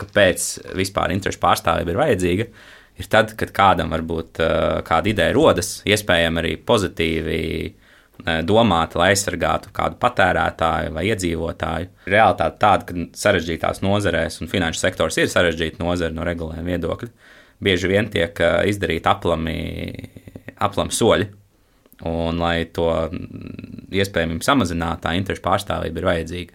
kāpēc vispār interešu pārstāvība ir vajadzīga, ir tad, kad kādam varbūt kāda ideja rodas, iespējami arī pozitīvi domāt, lai aizsargātu kādu patērētāju vai iedzīvotāju. Realitāte tāda, ka sarežģītās nozarēs un finanšu sektors ir sarežģīta nozara no regulējuma viedokļa, bieži vien tiek izdarīti aplami soļi, un lai to iespējami samazinātu, tā interešu pārstāvība ir vajadzīga.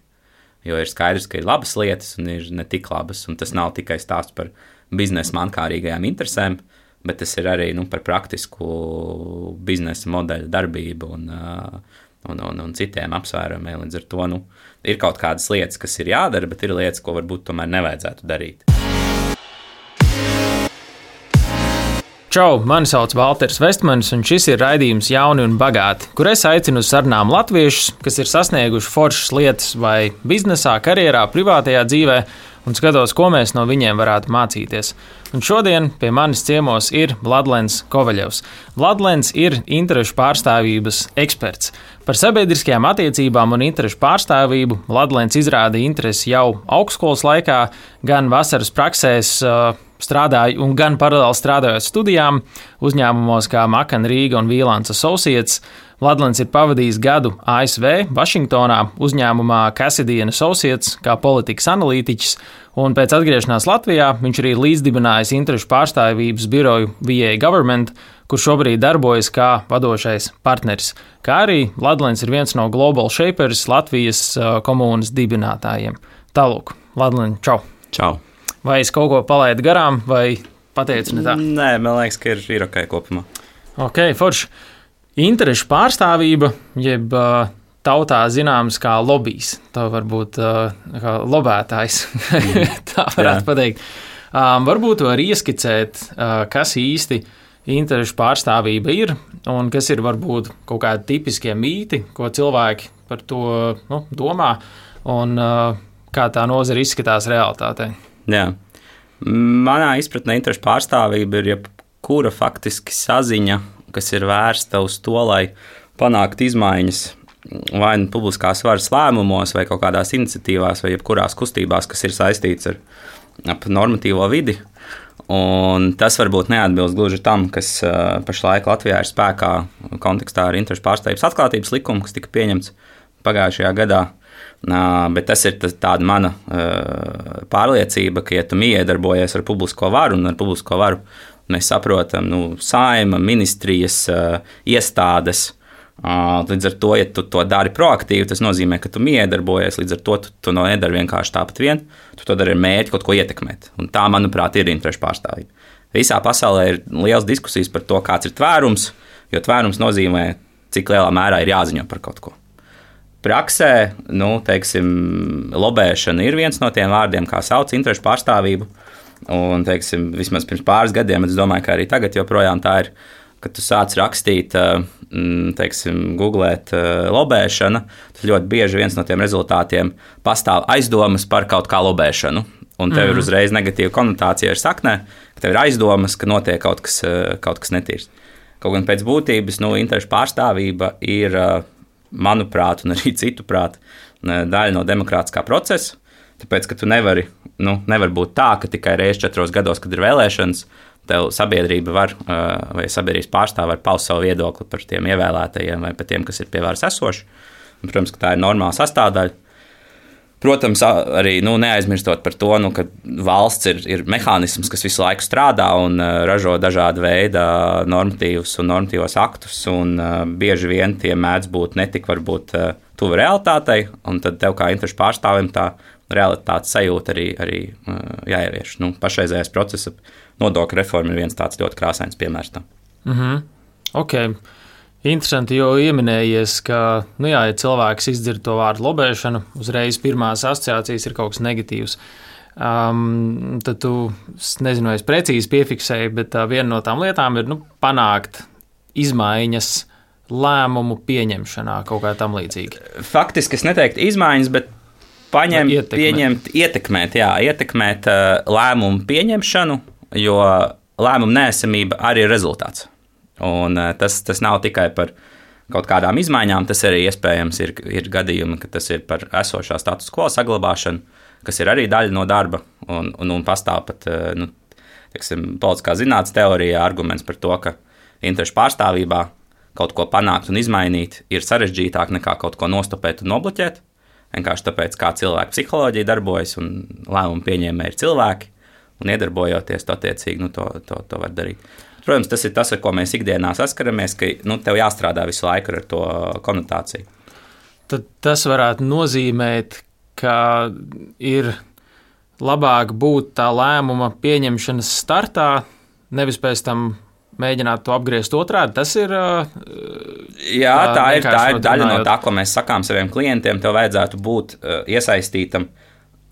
Jo ir skaidrs, ka ir labas lietas un ir ne tik labas, un tas nav tikai stāsts par biznesa mankārīgajām interesēm, bet tas ir arī par praktisku biznesa modeļu darbību un citiem apsvērumiem. Līdz ar to ir kaut kādas lietas, kas ir jādara, bet ir lietas, ko varbūt tomēr nevajadzētu darīt. Čau, mani sauc Valters Vestmanis, un šis ir raidījums Jauni un bagāti, kur es aicinu uz sarunām latviešus, kas ir sasnieguši foršas lietas vai biznesā, karjerā, privātajā dzīvē, un skatos, ko mēs no viņiem varētu mācīties. Un šodien pie manis ciemos ir Vladlens Kovaļevs. Vladlens ir interešu pārstāvības eksperts. Par sabiedriskajām attiecībām un interešu pārstāvību Vladlens izrādīja interesi jau augstskolas laikā, gan vasaras praksēs strādāja un gan paralēli strādājot studijām uzņēmumos kā Makan Rīga un Vīlāns Associates. Vladlens ir pavadījis gadu ASV, Vašingtonā, uzņēmumā Cassidy & Associates kā politikas analītiķis, un pēc atgriešanās Latvijā viņš arī līdzdibinājis interešu pārstāvības biroju VA Government, kur šobrīd darbojas kā vadošais partneris. Kā arī Vladlens ir viens no Global Shapers Latvijas komūnas dibinātājiem. Tālūk, Vladlen, čau! Čau! Vai es kaut ko palaidu garām, vai pateicu ne tā? Nē, man liekas, ka ir ok kopumā. Ok, forši. Interešu pārstāvība, jeb tautā zināms kā lobijs. Tā varbūt kā lobētājs, tā varētu pateikt. Varbūt var ieskicēt, kas īsti interešu pārstāvība ir, un kas ir varbūt kaut kādi tipiskie mīti, ko cilvēki par to domā, un kā tā nozara izskatās realitātē. Jā. Manā izpratnē interešu pārstāvība ir jebkura faktiski saziņa, kas ir vērsta uz to, lai panāktu izmaiņas vai nu publiskās varas lēmumos, vai kaut kādās iniciatīvās, vai jebkurās kustībās, kas ir saistīts ar normatīvo vidi. Un tas varbūt neatbilst gluži tam, kas pašlaik Latvijā ir spēkā kontekstā ar interešu pārstāvības atklātības likumu, kas tika pieņemts pagājušajā gadā. Bet tas ir tāda mana pārliecība, ka, ja tu iedarbojies ar publisko varu, un ar publisko varu mēs saprotam Saeima, ministrijas, iestādes, līdz ar to, ja tu to dari proaktīvi, tas nozīmē, ka tu iedarbojies, līdz ar to tu nedari vienkārši tāpat vien, tu to dari ar mērķi kaut ko ietekmēt. Un tā, manuprāt, ir interešu pārstāvība. Visā pasaulē ir liels diskusijas par to, kāds ir tvērums, jo tvērums nozīmē, cik lielā mērā ir jāziņo par kaut ko. Praksē, teiksim, lobēšana ir viens no tiem vārdiem, kā sauc interešu pārstāvību. Un, teiksim, vismaz pirms pāris gadiem, es domāju, ka arī tagad joprojām tā ir, kad tu sāc rakstīt, teiksim, googlēt lobēšana, tad ļoti bieži viens no tiem rezultātiem pastāv aizdomas par kaut kā lobēšanu. Un tev ir uzreiz negatīva konotācija ar saknē, ka tev ir aizdomas, ka notiek kaut kas netīrs. Kaut gan pēc būtības, interešu pārstāvība ir, manuprāt, un arī citu prāt, daļa no demokrātiskā procesa. Tāpēc, ka tu nevar būt tā, ka tikai reiz 4 gados, kad ir vēlēšanas, tev sabiedrība vai sabiedrības pārstāvi var paust savu viedokli par tiem ievēlētajiem vai par tiem, kas ir pie varas esoši. Un, protams, ka tā ir normāla sastāvdaļa. Protams, arī neaizmirstot par to, ka valsts ir mehānisms, kas visu laiku strādā un ražo dažādu veidu normatīvus un normatīvos aktus, un bieži vien tie mēdz būt netik varbūt tuvu realitātei, un tad tev kā interešu pārstāvim tā realitātes sajūta arī jāievieš. Pašreizējais procesa nodokļu reforma ir viens tāds ļoti krāsains piemērs tam. Ok. Interesanti, jo ieminējies, ka, ja cilvēks izdzird to vārdu lobēšana, uzreiz pirmās asociācijas ir kaut kas negatīvs. Tad tu, nezinu, es precīzi piefiksēju, bet viena no tām lietām ir panākt izmaiņas lēmumu pieņemšanā, kaut kā tam līdzīgi. Faktiski es neteiktu izmaiņas, bet ietekmēt lēmumu pieņemšanu, jo lēmumu neesamība arī ir rezultāts. Un tas nav tikai par kaut kādām izmaiņām, tas arī iespējams ir gadījumi, ka tas ir par esošā status quo saglabāšanu, kas ir arī daļa no darba, un pastāv pat politiskā zinātnes teorijā arguments par to, ka interešu pārstāvībā kaut ko panākt un izmainīt ir sarežģītāk nekā kaut ko nostopēt un nobloķēt. Vienkārši tāpēc, kā cilvēku psiholoģija darbojas un lēmumu pieņēmēji ir cilvēki, un iedarbojoties, to attiecīgi to var darīt. Protams, tas ir tas, ar ko mēs ikdienā saskaramies, ka tev jāstrādā visu laiku ar to konotāciju. Tad tas varētu nozīmēt, ka ir labāk būt tā lēmuma pieņemšanas startā, nevis pēc tam mēģināt to apgriezt otrādi. Tas ir. Jā, tā ir daļa no tā, ko mēs sakām saviem klientiem. Tev vajadzētu būt iesaistītam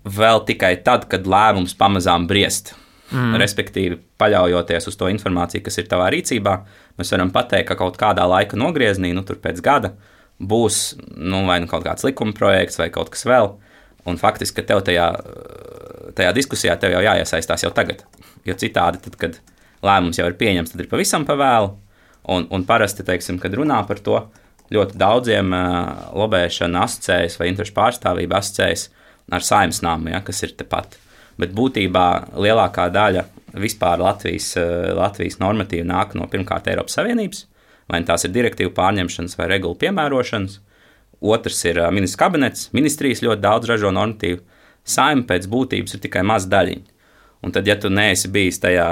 vēl tikai tad, kad lēmums pamazām briest. Respektīvi, paļaujoties uz to informāciju, kas ir tavā rīcībā, mēs varam pateikt, ka kaut kādā laika nogriezienī, tur pēc gada, būs vai kaut kāds likuma projekts vai kaut kas vēl. Un faktiski, ka tev tajā diskusijā tev jau jāiesaistās jau tagad. Jo citādi, tad, kad lēmums jau ir pieņemts, tad ir pavisam pavēlu. Un parasti, kad runā par to, ļoti daudziem lobēšana asociējas vai interešu pārstāvība asociējas ar Saeimas namu, kas ir tepat. Bet būtībā lielākā daļa vispār Latvijas normatīva nāk no pirmkārt Eiropas Savienības, vai tās ir direktīvu pārņemšanas vai regulu piemērošanas. Otrs ir ministrs kabinets, ministrijas ļoti daudz ražo normatīvu. Saeima pēc būtības ir tikai maza daļiņa. Un tad, ja tu neesi bijis tajā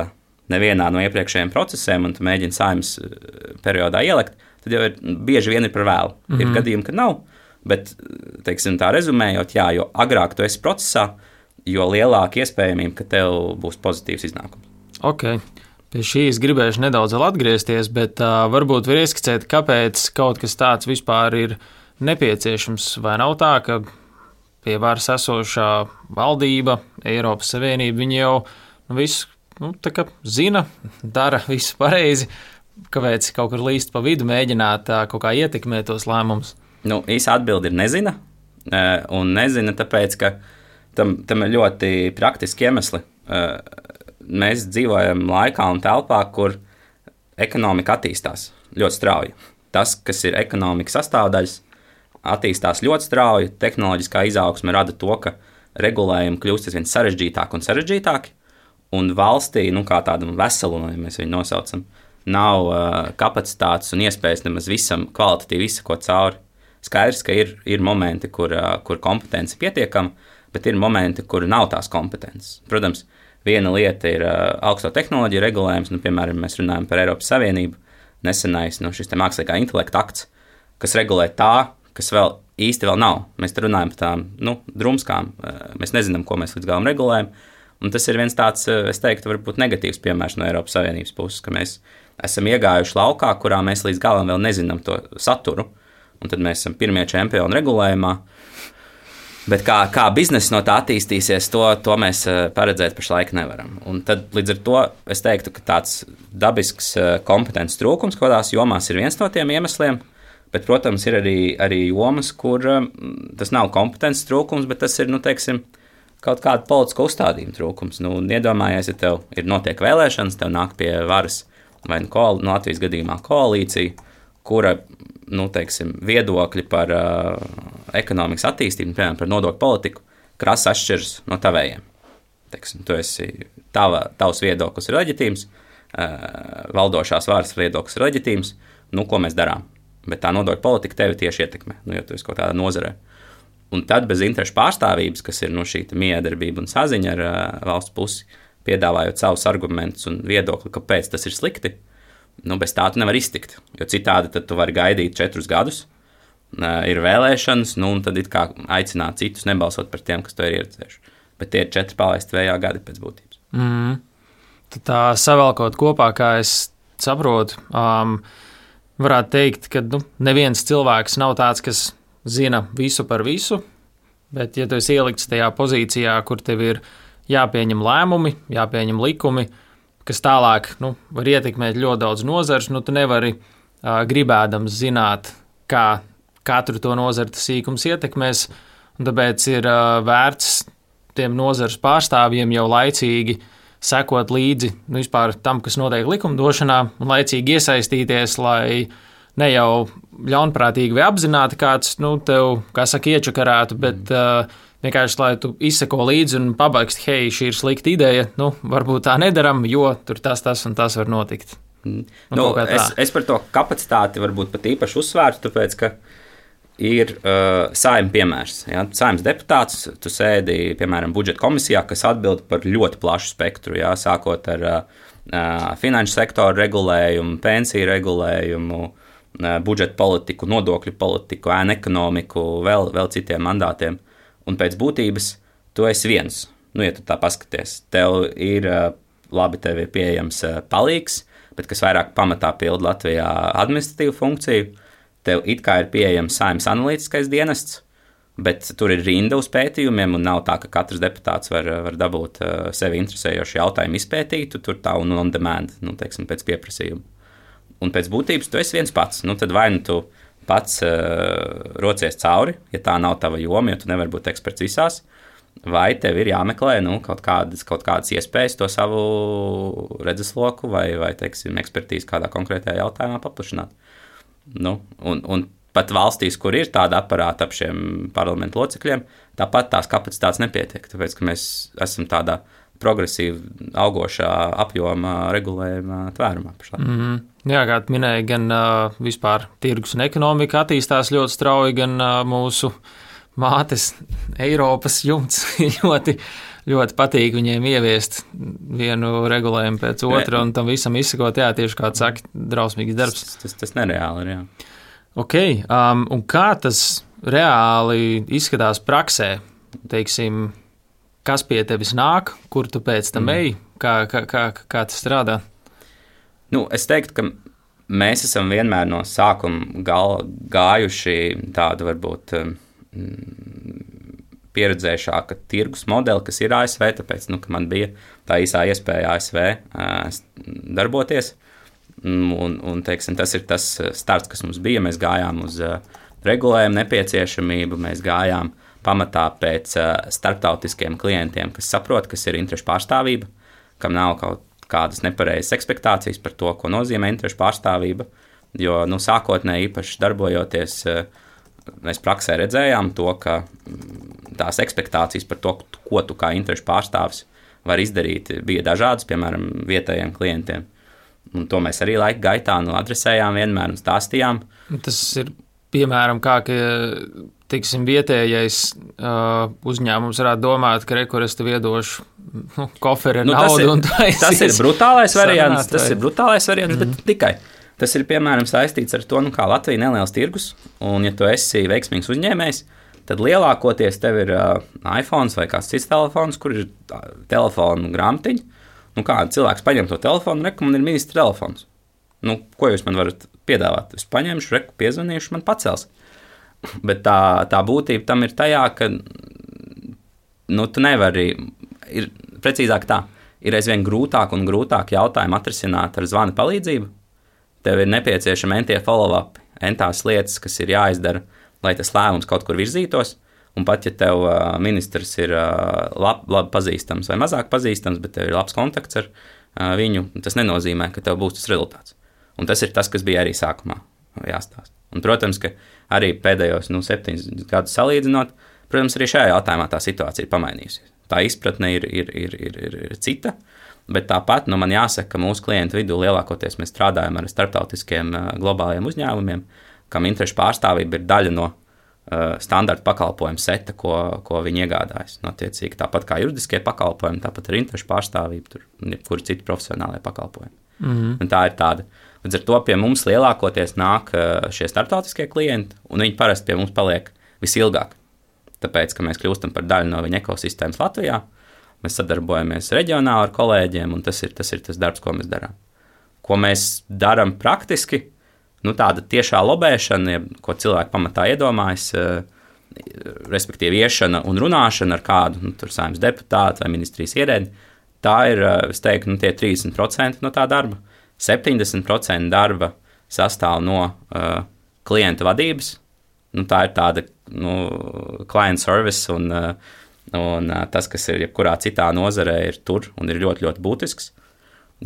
nevienā no iepriekšējiem procesiem un tu mēģini Saeimas periodā ielikt, tad jau bieži vien ir par vēlu. Ir gadījumi, kad nav, bet, tā rezumējot, jo agrāk tu esi procesā, jo lielāka iespējamība, ka tev būs pozitīvs iznākums. Ok, pie šīs gribēšu nedaudz vēl atgriezties, bet varbūt var ieskicēt, kāpēc kaut kas tāds vispār ir nepieciešams, vai nav tā, ka pie varas esošā valdība, Eiropas Savienība, viņi jau visu zina, dara visu pareizi, kāpēc kaut kur līst pa vidu mēģināt kaut kā ietekmēt tos lēmumus? Īsa atbilde ir nezina, un nezina tāpēc, ka tam ir ļoti praktiski iemesli. Mēs dzīvojam laikā un telpā, kur ekonomika attīstās ļoti strauji. Tas, kas ir ekonomikas sastāvdaļas, attīstās ļoti strauji. Tehnoloģiskā izaugsme rada to, ka regulējumi kļūst aizvien sarežģītāki un sarežģītāki, un valstī, kā tādam veselumam, ja mēs viņu nosaucam, nav kapacitātes un iespējas nemaz visam kvalitatīvi izsekot cauri. Skaidrs, ka ir momenti, kur kompetence pietiekama, bet ir momenti, kur nav tās kompetences. Protams, viena lieta ir augsto tehnoloģiju regulējums, piemēram, mēs runājam par Eiropas Savienību, nesenais šis mākslīgā intelekta akts, kas regulē tā, kas vēl īsti vēl nav. Mēs te runājam par tām drumskām, mēs nezinām, ko mēs līdz galam regulējam, un tas ir viens tāds, es teiktu, varbūt negatīvs piemērs no Eiropas Savienības puses, ka mēs esam iegājuši laukā, kurā mēs līdz galam vēl nezinām to saturu, un tad mēs esam pirmie čempioni regulējumā. Bet kā biznesa no tā attīstīsies, to mēs paredzēt pašlaik nevaram. Un tad līdz ar to es teiktu, ka tāds dabisks kompetences trūkums kādās jomās ir viens no tiem iemesliem, bet, protams, ir arī jomas, kur tas nav kompetences trūkums, bet tas ir, kaut kāda politiska uzstādījuma trūkums. Iedomājies, ja tev notiek vēlēšanas, tev nāk pie varas vai Latvijas gadījumā koalīcija, kura, viedokļi par ekonomikas attīstību, piemēram, par nodokļu politiku, krasi atšķiras no tavējiem. Tavs viedoklis ir leģitīms, valdošās varas viedoklis ir leģitīms, ko mēs darām? Bet tā nodokļu politika tevi tieši ietekmē, jo tu esi kaut kādā nozarē. Un tad bez interešu pārstāvības, kas ir šī miedarbība un saziņa ar valsts pusi, piedāvājot savus argumentus un viedokli, kāpēc tas ir slikti, bez tā tu nevar iztikt, jo citādi tad tu vari gaidīt 4 gadus, ir vēlēšanas, un tad it kā aicināt citus nebalsot par tiem, kas to ir ieredzējuši. Bet tie ir 4 palaisti vējā gadi pēc būtības. Tad tā savēlkot kopā, kā es saprotu, varētu teikt, ka neviens cilvēks nav tāds, kas zina visu par visu, bet ja tu esi ielikts tajā pozīcijā, kur tev ir jāpieņem lēmumi, jāpieņem likumi, kas tālāk var ietekmēt ļoti daudz nozars, tu nevari gribēdams zināt, kā katru to nozaru tas sīkums ietekmēs, un tāpēc ir vērts tiem nozares pārstāvjiem jau laicīgi sekot līdzi vispār tam, kas notiek likumdošanā, un laicīgi iesaistīties, lai ne jau ļaunprātīgi vai apzināti kāds tev, kā saka, iečakarētu, bet vienkārši, lai tu izseko līdzi un pabeigst, hei, šī ir slikta ideja, varbūt tā nedaram, jo tur tas un tas var notikt. Es par to kapacitāti varbūt pat īpaši uzsvērtu, tāpēc, ka ir Saeima piemērs. Ja? Saeimas deputāts, tu sēdi, piemēram, budžeta komisijā, kas atbild par ļoti plašu spektru, ja? Sākot ar finanšu sektoru regulējumu, pensiju regulējumu, budžeta politiku, nodokļu politiku, ēnu ekonomiku, vēl citiem mandātiem. Un pēc būtības tu esi viens. Ja tu tā paskaties, tev ir tev ir pieejams palīgs, bet kas vairāk pamatā pilda Latvijā administratīvu funkciju. Tev it kā ir pieejams Saeimas analītiskais dienests, bet tur ir rinda uz pētījumiem, un nav tā, ka katrs deputāts var dabūt sevi interesējošu jautājumu izpētīt, tur tā un on demand, teiksim, pēc pieprasījuma. Un pēc būtības tu esi viens pats, tad vai tu pats rocies cauri, ja tā nav tava joma, jo tu nevari būt eksperts visās, vai tev ir jāmeklē kaut kādas iespējas to savu redzesloku vai teiksim, ekspertīzi kādā konkrētajā jautājumā paplašināt. Un pat valstīs, kur ir tāda aparāta ap šiem parlamentu locekļiem, tāpat tās kapacitātes nepietiek, tāpēc, ka mēs esam tādā progresīvi augošā apjoma regulējuma tvērumā. Jā, kā minēja, gan vispār tirgus un ekonomika attīstās ļoti strauji, gan mūsu mātes Eiropas jumts ļoti, ļoti patīk viņiem ieviest vienu regulējumu pēc otra un tam visam izsakot, jā, tieši kā tu saki, drausmīgs darbs. Tas nereāli ir, jā. Ok, un kā tas reāli izskatās praksē? Teiksim, kas pie tevis nāk, kur tu pēc tam ej, kā tas strādā? Es teiktu, ka mēs esam vienmēr no sākuma gājuši tādu varbūt pieredzējušāka tirgus modeli, kas ir ASV, tāpēc, ka man bija tā īsā iespēja ASV darboties. Un teiksim, tas ir tas starts, kas mums bija. Mēs gājām uz regulējumu nepieciešamību, mēs gājām pamatā pēc starptautiskiem klientiem, kas saprot, kas ir interešu pārstāvība, kam nav kaut kādas nepareizas ekspektācijas par to, ko nozīmē interešu pārstāvība, jo sākotnēji īpaši darbojoties, mēs praksē redzējām to, ka tās ekspektācijas par to, ko tu kā interešu pārstāvis var izdarīt, bija dažādas, piemēram, vietējiem klientiem. Un to mēs arī laika gaitā adresējām vienmēr un stāstījām. Tas ir piemēram kā, ka tiksim, vietējais uzņēmums varētu domāt, ka kur es tev iedošu koferi ar naudu. Tas ir brutālais variants, bet tikai. Tas ir piemēram saistīts ar to, kā Latvija ir neliels tirgus, un ja tu esi veiksmīgs uzņēmējs, tad lielākoties tev ir iPhone vai kāds cits telefons, kur ir telefonu grāmatiņa. Kā cilvēks paņem to telefonu, man ir ministra telefons. Ko jūs man varat piedāvāt? Es paņemšu, piezvanīšu, man pacels. Bet tā būtība tam ir tajā, ka tu nevari, ir precīzāk tā, ir aizvien grūtāk un grūtāk jautājumu atrisināt ar zvana palīdzību. Tev ir nepieciešama entie follow-up, entās lietas, kas ir jāizdara, lai tas lēmums kaut kur virzītos. Un pat, ja tev ministrs ir labi pazīstams vai mazāk pazīstams, bet tev ir labs kontakts ar viņu, tas nenozīmē, ka tev būs tas rezultāts. Un tas ir tas, kas bija arī sākumā jāstāsta. Un, protams, ka arī pēdējos 7 gadus salīdzinot, protams, arī šajā jautājumā tā situācija ir pamainījusies. Tā izpratne ir cita, bet tāpat man jāsaka, ka mūsu klientu vidū lielākoties mēs strādājam ar starptautiskiem globāliem uzņēmumiem, kam interešu pārstāvība ir daļa no standarta pakalpojumu seta, ko viņi iegādājas. Attiecīgi, tāpat kā juridiskie pakalpojumi, tāpat ir interešu pārstāvība, jebkuri citi profesionālie pakalpojumi. Un tā ir tāda. Līdz ar to pie mums lielākoties nāk šie starptautiskie klienti, un viņi parasti pie mums paliek visilgāk. Tāpēc, ka mēs kļūstam par daļu no viņa ekosistēmas Latvijā, mēs sadarbojamies reģionāli ar kolēģiem, un tas ir tas darbs, ko mēs darām. Ko mēs darām praktiski? Tāda tiešā lobēšana, ko cilvēki pamatā iedomājas, respektīvi iešana un runāšana ar kādu Saeimas deputātu vai ministrijas ierēdni, tā ir, es teiktu, tie 30% no tā darba. 70% darba sastāv no klienta vadības. Tā ir tāda client service un tas, kas ir jebkurā citā nozarē, ir tur un ir ļoti, ļoti būtisks,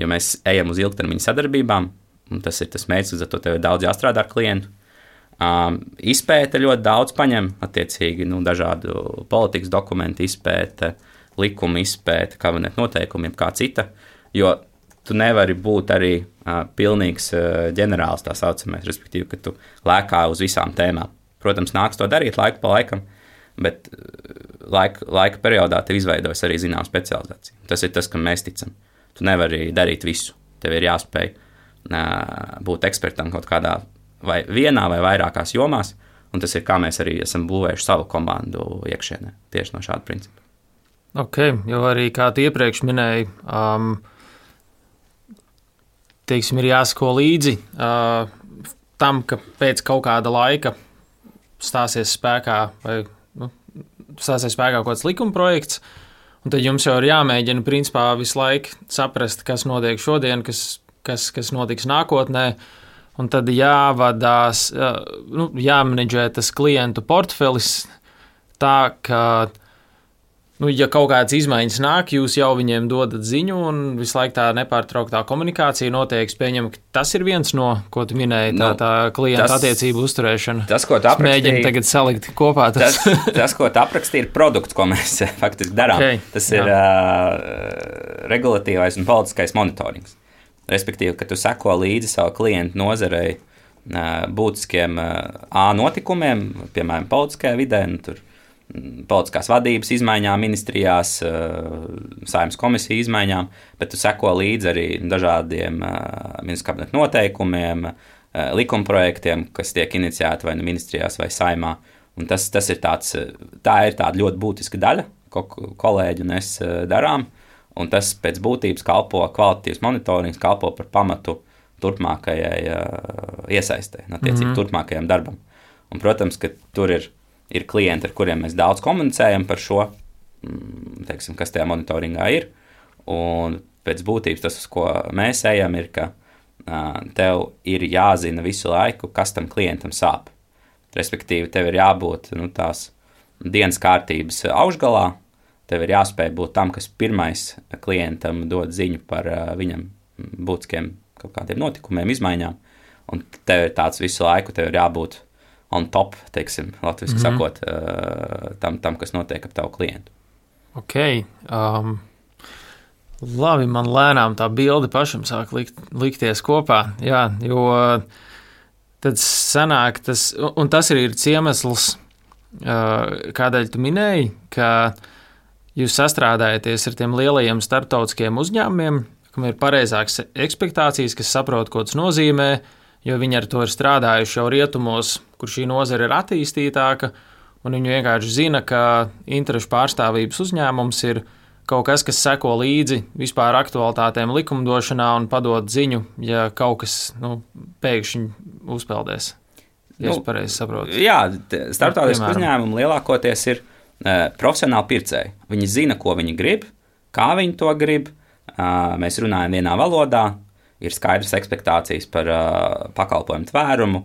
jo mēs ejam uz ilgtermiņa sadarbībām. Un tas ir tas mērķis, līdz ar to tev ir daudz jāstrādā ar klientu. Izpēte ļoti daudz paņem, attiecīgi dažādu politikas dokumentu izpēte, likuma izpēte, kabinetu noteikumi, kā cita, jo tu nevari būt arī pilnīgs ģenerālis, tā saucamais, respektīvi, ka tu lēkā uz visām tēmām. Protams, nāks to darīt laiku pa laikam, bet laika periodā tev izveidojas arī zināma specializācija. Tas ir tas, kam mēs ticam. Tu nevari darīt visu. Tev ir jāspēj būt ekspertam kaut kādā vai vienā vai vairākās jomās, un tas ir, kā mēs arī esam būvējuši savu komandu iekšienē, tieši no šāda principa. Ok, jo arī, kā tu iepriekš minēji, teiksim, ir jāsako līdzi tam, ka pēc kaut kāda laika stāsies spēkā kaut kāds likuma projekts, un tad jums jau ir jāmēģina, principā, visu laiku saprast, kas notiek šodien, kas notiks nākotnē, un tad jāvadās, jāmenedžē tas klientu portfelis tā, ka, ja kaut kādas izmaiņas nāk, jūs jau viņiem dodat ziņu, un visu laiku tā nepārtrauktā komunikācija notiek. Pieņem, ka tas ir viens no, ko tu minēji, tā klienta attiecību uzturēšana. Tas, ko tu aprakstīji, mēģinu tagad salikt kopā. Tas, ko tu aprakstīji, ir produkts, ko mēs faktiski darām. Okay, tas ir regulatīvais un politiskais monitorings. Respektīvi, ka tu seko līdzi savu klientu nozarei būtiskiem notikumiem, piemēram, politiskajā vidē, tur politiskās vadības izmaiņām ministrijās, Saeimas komisiju izmaiņām, bet tu seko līdzi arī dažādiem ministru kabineta noteikumiem, likumprojektiem, kas tiek iniciēti vai ministrijās vai Saeimā. Un tā ir tāda ļoti būtiska daļa, ko kolēģi un es darām. Un tas pēc būtības kalpo, kvalitatīvs monitorings kalpo par pamatu turpmākajai iesaistē, attiecīgi turpmākajam darbam. Un, protams, ka tur ir klienti, ar kuriem mēs daudz komunicējam par šo, teiksim, kas tajā monitoringā ir. Un pēc būtības tas, uz ko mēs ejam, ir, ka tev ir jāzina visu laiku, kas tam klientam sāp. Respektīvi, tev ir jābūt tās dienas kārtības augšgalā. Tev ir jāspēj būt tam, kas pirmais klientam dod ziņu par viņam būtiskiem kaut kādiem notikumiem, izmaiņām. Un tev ir tāds visu laiku, tev ir jābūt on top, teiksim, latviski sakot, tam, kas notiek ap tavu klientu. Ok. Labi, man lēnām tā bilde pašam sāk likties kopā. Jā, jo tad sanāk tas, un tas arī ir iemesls, kādēļ tu minēji, ka jūs sastrādājaties ar tiem lielajiem starptautiskiem uzņēmumiem, kam ir pareizākas ekspektācijas, kas saprot, ko tas nozīmē, jo viņi ar to ir strādājuši jau rietumos, kur šī nozara ir attīstītāka, un viņi vienkārši zina, ka interešu pārstāvības uzņēmums ir kaut kas, kas seko līdzi vispār aktualitātēm likumdošanā un padod ziņu, ja kaut kas pēkšņi uzpeldēs. Ja es pareizi saprotu. Jā, starptautiski uzņēmumi lielākoties ir profesionāli pircēji. Viņi zina, ko viņi grib, kā viņi to grib. Mēs runājam vienā valodā, ir skaidras ekspektācijas par pakalpojumu tvērumu,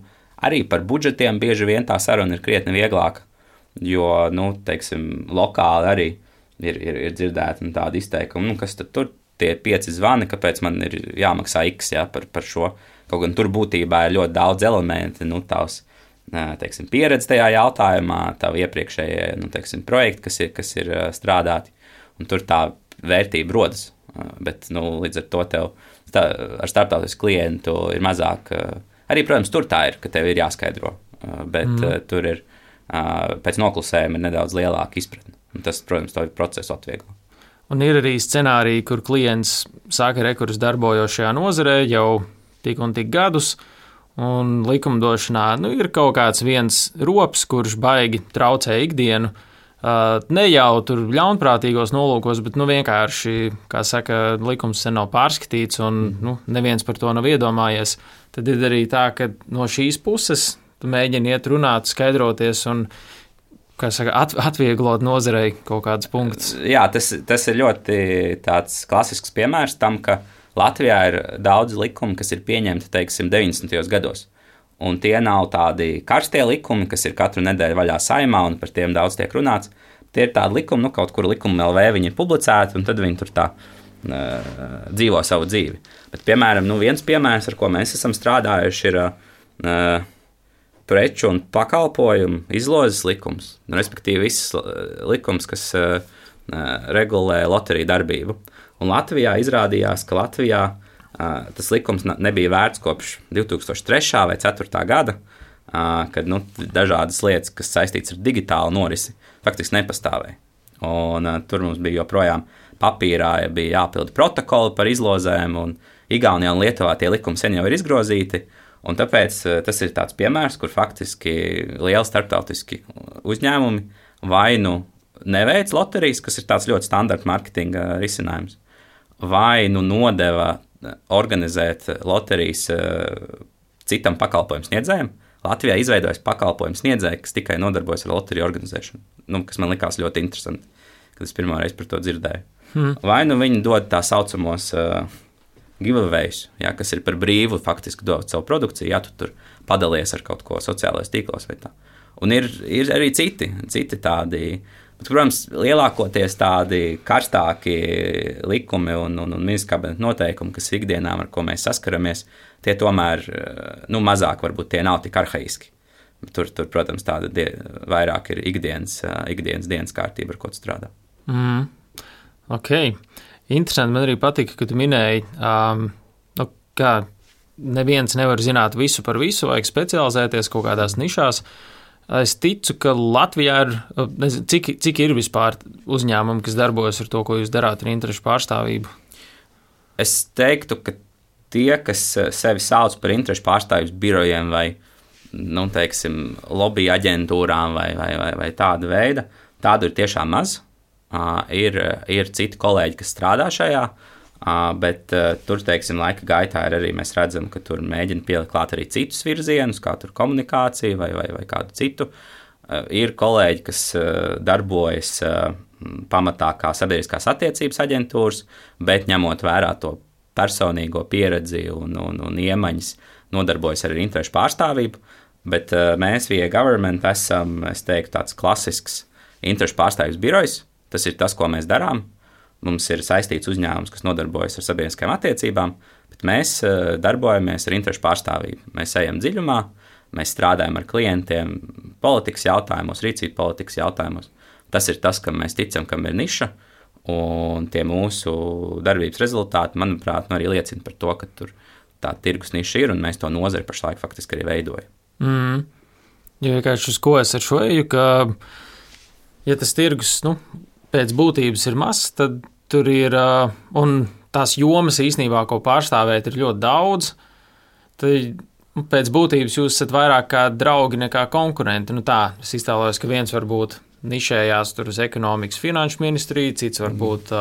arī par budžetiem bieži vien tā saruna ir krietni vieglāka, jo, teiksim, lokāli arī ir dzirdēta tāda izteikuma, kas tad tur tie 5 zvani, kāpēc man ir jāmaksā X par šo. Kaut gan tur būtībā ir ļoti daudz elementi, tavs, teiksim, pieredze tajā jautājumā, tavu iepriekšējie, projekti, kas ir strādāti, un tur tā vērtība rodas. Bet, līdz ar to tev ar starptautisku klientu ir mazāk. Arī, protams, tur tā ir, ka tev ir jāskaidro, bet tur ir pēc noklusējuma ir nedaudz lielāka izpratne. Un tas, protams, to procesu atvieglo. Un ir arī scenāriji, kur klients saka, kurš darbojos šajā nozarē jau tik un tik gadus, un likumdošanā ir kaut kāds viens rops, kurš baigi traucē ikdienu. Ne jau tur ļaunprātīgos nolūkos, bet vienkārši, kā saka, likums sen nav pārskatīts, un neviens par to nav iedomājies. Tad ir arī tā, ka no šīs puses tu mēģini iet runāt, skaidroties un, kā saka, atvieglot nozarei kaut kādus punktus. Jā, tas ir ļoti tāds klasisks piemērs tam, ka Latvijā ir daudz likumu, kas ir pieņemti, teiksim, 90. gados. Un tie nav tādi karstie likumi, kas ir katru nedēļu vaļā Saeimā, un par tiem daudz tiek runāts. Tie ir tādi likumi, kaut kur likuma LV viņi ir publicēti, un tad viņi tur tā dzīvo savu dzīvi. Bet, piemēram, viens piemērs, ar ko mēs esam strādājuši, ir preču un pakalpojumu izlozes likums, respektīvi viss likums, kas regulē loteriju darbību. Un Latvijā izrādījās, ka Latvijā tas likums nebija vērts kopš 2003. vai 2004. gada, kad dažādas lietas, kas saistītas ar digitālu norisi, faktiski nepastāvēja. Un tur mums bija joprojām papīrā, bija jāpilda protokoli par izlozēm, un Igaunijā un Lietuvā tie likumi sen jau ir izgrozīti. Un tāpēc tas ir tāds piemērs, kur faktiski lieli starptautiski uzņēmumi vai neveic loterijas, kas ir tāds ļoti standarta marketinga risinājums, vai nodeva organizēt loterijas citam pakalpojumu sniedzējiem. Latvijā izveidojas pakalpojumu sniedzēji, kas tikai nodarbojas ar loteriju organizēšanu, kas man likās ļoti interesanti, kad es pirmo reizi par to dzirdēju. Vai viņi dod tā saucamos giveaways, kas ir par brīvu, faktiski dod savu produkciju, tu tur padalies ar kaut ko sociālajos tīklos vai tā. Un ir arī citi tādi, bet, protams, lielākoties tādi karstāki likumi un ministra kabineta noteikumi, kas ikdienām, ar ko mēs saskaramies, tie tomēr, mazāk varbūt tie nav tik arhaiski. Tur protams, tāda vairāk ir ikdienas dienas kārtība, ar ko tu strādā. Ok. Interesanti, man arī patika, ka tu minēji, ka neviens nevar zināt visu par visu, vajag specializēties kaut kādās nišās. Es ticu, ka Latvijā ir, nezinu, cik ir vispār uzņēmumi, kas darbojas ar to, ko jūs darāt ar interešu pārstāvību? Es teiktu, ka tie, kas sevi sauc par interešu pārstāvības birojiem vai, lobby aģentūrām vai tāda veida, tādu ir tiešām maz. Ir citi kolēģi, kas strādā šajā, bet tur, laika gaitā arī mēs redzam, ka tur mēģina pielikt klāt arī citus virzienus, kā tur komunikācija vai kādu citu. Ir kolēģi, kas darbojas pamatā kā sabiedriskās attiecības aģentūras, bet ņemot vērā to personīgo pieredzi un iemaņas, nodarbojas arī ar interešu pārstāvību, bet mēs VA Government esam, es teiktu, tāds klasisks interešu pārstāvības birojs. Tas ir tas, ko mēs darām. Mums ir saistīts uzņēmums, kas nodarbojas ar sabiedriskajām attiecībām, bet mēs darbojamies ar interešu pārstāvību. Mēs ejam dziļumā, mēs strādājam ar klientiem politikas jautājumos, rīcību politikas jautājumos. Tas ir tas, kam mēs ticam, kam ir niša, un tie mūsu darbības rezultāti, manuprāt, arī liecina par to, ka tur tā tirgus niša ir, un mēs to nozari pašlaik faktiski arī veidojam. Jo vienkārši uz ko es ar šo eju, ka, ja tas tirgus, pēc būtības ir mazs, tad tur ir, un tās jomas īstenībā, ko pārstāvēt, ir ļoti daudz, tad pēc būtības jūs esat vairāk kā draugi nekā konkurenti. Es iztēlojos, ka viens varbūt nišējās tur uz ekonomikas finanšu ministriju, cits varbūt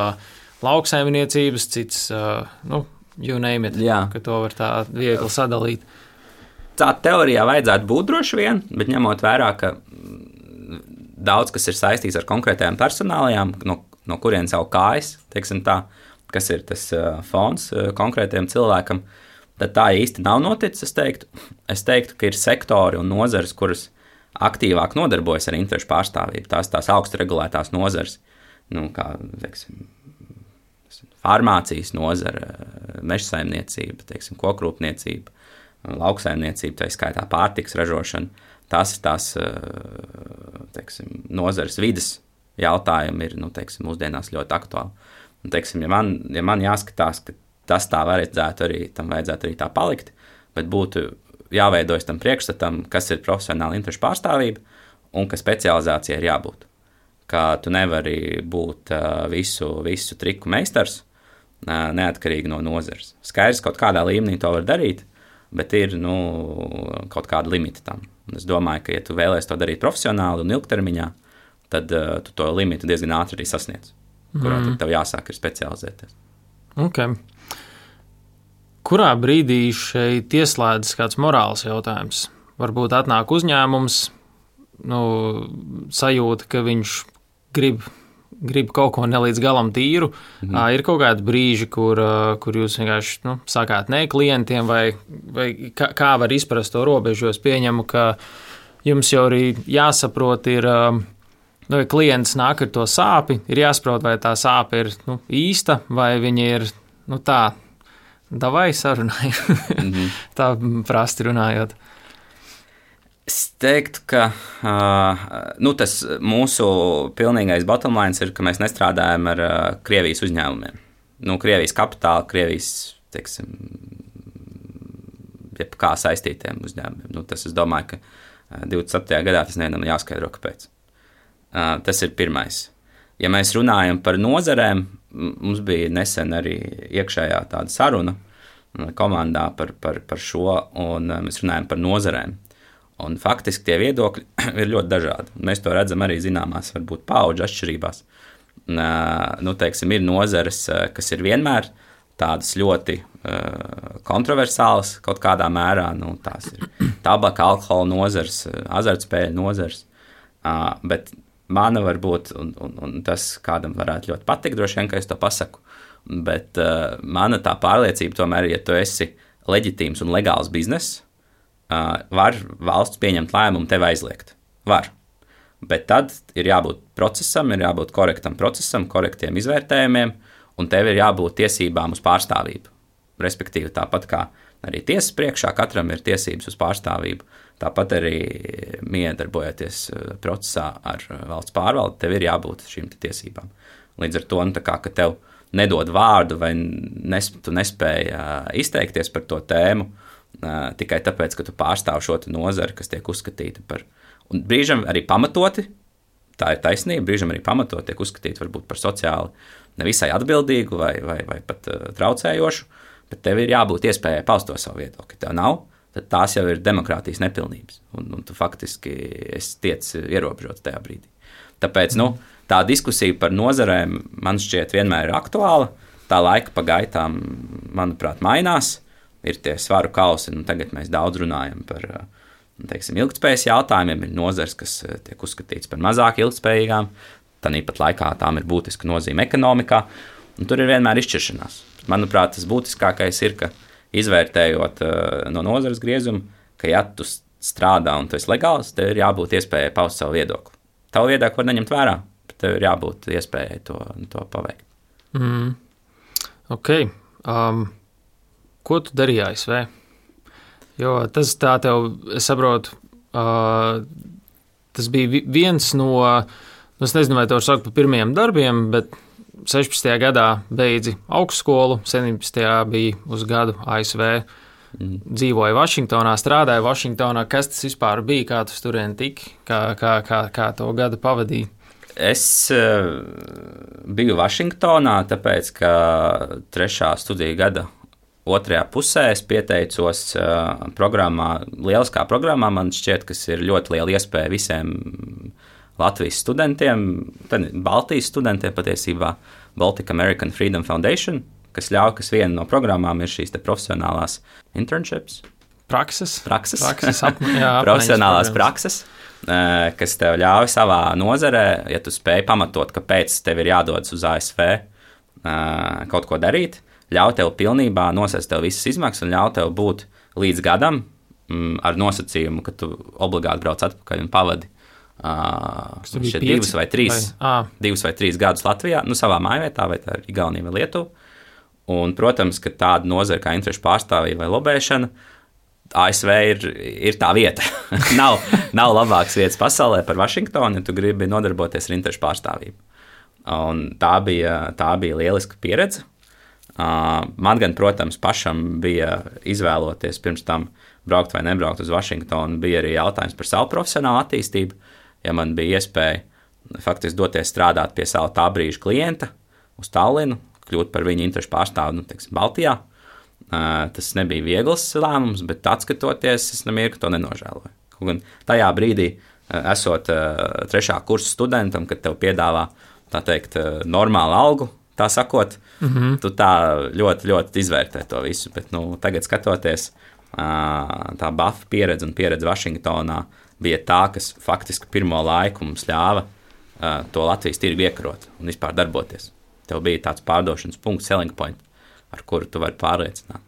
lauksaimniecības, cits, you name it, ka to var tā viegli sadalīt. Tā teorijā vajadzētu būt droši vien, bet ņemot vērā, ka daudz, kas ir saistīts ar konkrētajām personālajām, no kurienes jau kājas, kas ir tas fons konkrētajam cilvēkam, tad tā īsti nav noticis, es teiktu. Es teiktu, ka ir sektori un nozares, kuras aktīvāk nodarbojas ar interešu pārstāvību. Tās augstu regulētās nozares, kā, farmācijas nozara, mežsaimniecība, kokrūpniecība, lauksaimniecība, tā skaitā pārtikas ražošana. Tās ir tās, nozares vides jautājumi ir, mūsdienās ļoti aktuāli. Un, ja man jāskatās, ka tas tā vajadzētu arī tā palikt, bet būtu jāveidojas tam priekšstatam, kas ir profesionāla interešu pārstāvība un ka specializācija ir jābūt. Ka tu nevari būt visu triku meistars, neatkarīgi no nozares. Skaidrs, kaut kādā līmenī to var darīt, bet ir kaut kāda limita tam. Un es domāju, ka, ja tu vēlēsi to darīt profesionāli un ilgtermiņā, tad tu to limitu diezgan ātri arī sasniedz, kurā tad tev jāsāk ir specializēties. Okay. Kurā brīdī šeit ieslēdzas kāds morāls jautājums? Varbūt atnāk uzņēmums, sajūta, ka viņš grib kaut ko ne līdz galam tīru. Ir kaut kādi brīži, kur jūs vienkārši sakāt nē klientiem, vai kā var izprast to robežu, jo es pieņemu, ka jums jau arī jāsaprot ir, ja klients nāk ar to sāpi, ir jāsaprot, vai tā sāpe ir īsta, vai viņa ir tā, davai sarunāju, tā prasti runājot. Es teiktu, ka tas mūsu pilnīgais bottom line ir, ka mēs nestrādājam ar Krievijas uzņēmumiem. Krievijas kapitāla, Krievijas, teiksim, kā saistītiem uzņēmumiem. Tas, es domāju, ka 27. gadā tas nevienam jāskaidro, kāpēc. Tas ir pirmais. Ja mēs runājam par nozarēm, mums bija nesen arī iekšējā tāda saruna komandā par šo, un mēs runājam par nozarēm. Un faktiski tie viedokļi ir ļoti dažādi. Mēs to redzam arī zināmās, varbūt paudžu atšķirībās. Teiksim, ir nozares, kas ir vienmēr tādas ļoti kontroversālas kaut kādā mērā. Tās ir tabaka, alkohola nozares, azartspēļu nozares. Bet mana varbūt, un tas kādam varētu ļoti patikt, droši vien, ka es to pasaku, bet mana tā pārliecība tomēr, ja tu esi leģitīms un legāls bizness, var valsts pieņemt lēmumu tevi aizliegt. Var. Bet tad ir jābūt procesam, ir jābūt korektam procesam, korektiem izvērtējumiem, un tev ir jābūt tiesībām uz pārstāvību. Respektīvi, tāpat kā arī tiesas priekšā, katram ir tiesības uz pārstāvību, tāpat arī miedarbojoties procesā ar valsts pārvaldi, tev ir jābūt šīm tiesībām. Līdz ar to, ka tev nedod vārdu vai tu nespēji izteikties par to tēmu, tikai tāpēc, ka tu pārstāv šo nozari, kas tiek uzskatīta par, un brīžam arī pamatoti, tā ir taisnība, brīžam arī pamatoti tiek uzskatīta varbūt par sociāli nevisai atbildīgu vai pat traucējošu, bet tev ir jābūt iespējai paust to savu viedokli. Tev nav, tad tās jau ir demokrātijas nepilnības, un tu faktiski esi tiec ierobežots tajā brīdī. Tāpēc, tā diskusija par nozarēm man šķiet vienmēr ir aktuāla, tā laika pa gaitām, manuprāt, mainās, ir tie svaru kausi, tagad mēs daudz runājam par, teiksim, ilgtspējas jautājumiem, ir nozars, kas tiek uzskatīts par mazāk ilgtspējīgām, tāpat laikā tām ir būtiska nozīme ekonomikā, un tur ir vienmēr izšķiršanās. Manuprāt, tas būtiskākais ir, ka izvērtējot no nozares griezumu, ka ja tu strādā un tu esi legāls, tev ir jābūt iespējai paust savu viedokli. Tavu viedokli var neņemt vērā, bet tev ir jābūt iespējai to paveikt. Ok. Ko tu darīji ASV? Jo tas tā tev, es saprotu, tas bija viens no, es nezinu, vai to var saukt par pirmajiem darbiem, bet 16. gadā beidzi augstskolu, 17. bija uz gadu ASV, dzīvoja Vašingtonā, strādāja Vašingtonā. Kas tas vispār bija, kā tu turien tiki, kā to gadu pavadīji? Es biju Vašingtonā, tāpēc, ka 3. studiju gada otrajā pusē es pieteicos programmā, lieliskā programmā, man šķiet, kas ir ļoti liela iespēja visiem Latvijas studentiem, Baltijas studentiem patiesībā, Baltic American Freedom Foundation, kas ļauj, kas viena no programmām ir šīs te profesionālās internships. Prakses. Profesionālās prakses, kas tev ļauj savā nozarē, ja tu spēj pamatot, kāpēc tev ir jādodas uz ASV kaut ko darīt, ļauj tev pilnībā nosēst tev visas izmaksas un ļauj tev būt līdz gadam ar nosacījumu, ka tu obligāti brauc atpakaļ un pavadi 2 vai 3 gadus Latvijā, savā mājvietā, vai tā ir Igaunija vai Lietuva. Un, protams, ka tāda nozara kā interešu pārstāvība vai lobēšana, ASV ir tā vieta. nav labākas vietas pasaulē par Vašingtonu, ja tu gribi nodarboties ar interešu pārstāvību. Un tā bija lieliska pieredze. Man gan, protams, pašam bija izvēloties pirms tam braukt vai nebraukt uz Vašingtonu, bija arī jautājums par savu profesionālu attīstību, ja man bija iespēja faktiski doties strādāt pie sava tā brīža klienta uz Tallinu, kļūt par viņu interešu pārstāvu, Baltijā. Tas nebija viegls lēmums, bet atskatoties, es nemirkli to nenožēloju. Kaut gan tajā brīdī, esot 3. kursa studentam, kad tev piedāvā, tā teikt, normālu algu, tā sakot, tu tā ļoti, ļoti izvērtē to visu, bet tagad skatoties, tā BAF pieredze un pieredze Vašingtonā bija tā, kas faktiski pirmo laiku mums ļāva to Latvijas tirgu iekarot un vispār darboties. Tev bija tāds pārdošanas punkts, selling point, ar kuru tu vari pārliecināt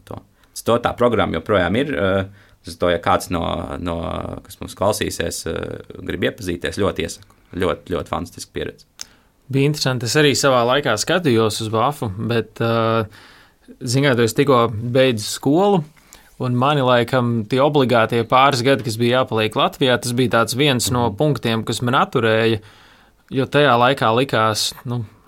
to. Tā programma joprojām ir, ja kāds no kas mums klausīsies, grib iepazīties, ļoti iesaku. Ļoti, ļoti fantastiska pieredze. Bija interesanti. Es arī savā laikā skatījos uz BAF-u, bet, zināmā mērā, tu tikko beidzi skolu, Un mani laikam tie obligātie pāris gadi, kas bija jāpaliek Latvijā, tas bija tāds viens no punktiem, kas man atturēja, jo tajā laikā likās,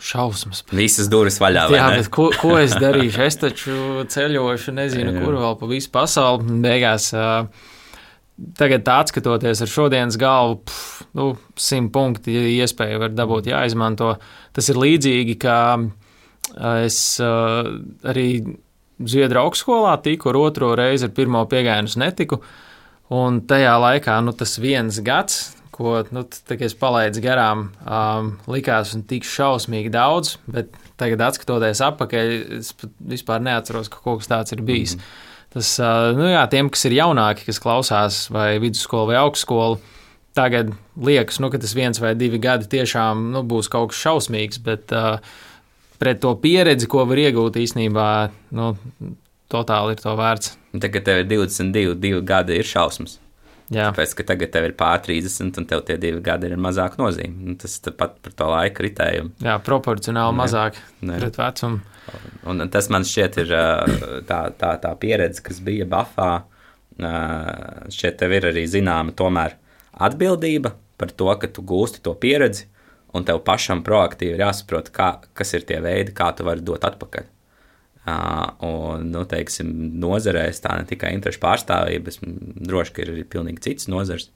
šausmas. Visas durvis vaļā, vai jā, ne? Bet ko es darīšu? Es taču ceļošu, nezinu, kur vēl pa visu pasauli. Beigās, tagad atskatoties ar šodienas galvu, 100 punkti iespēja var dabūt jāizmanto. Tas ir līdzīgi, kā es arī Zviedru augstskolā tiku ar otro reizi, ar pirmo piegājienus netiku, un tajā laikā, tas viens gads, ko, tagad es palaidu garām, likās un tik šausmīgi daudz, bet tagad atskatoties atpakaļ, es pat vispār neatceros, ka kaut kas tāds ir bijis. Tas, tiem, kas ir jaunāki, kas klausās vai vidusskolu vai augstskolu, tagad liekas, ka tas 1 vai 2 gadi tiešām, būs kaut kas šausmīgs, bet pret to pieredzi, ko var iegūt īstenībā, totāli ir to vērts. Tagad tev ir 22 gadi, ir šausmas. Jā. Tāpēc, ka tagad tev ir pār 30, un tev tie 2 gadi ir mazāk nozīme. Tas pat par to laika ritējumu. Jā, proporcionāli mazāk pret vecumu. Un tas man šķiet ir tā pieredze, kas bija Bafā. Šķiet tev ir arī zināma tomēr atbildība par to, ka tu gūsti to pieredzi, un tev pašam proaktīvi ir jāsaprot, kas ir tie veidi, kā tu vari dot atpakaļ. Un, teiksim, nozarēs tā ne tikai interešu pārstāvība, bet droši, ka ir arī pilnīgi cits nozars,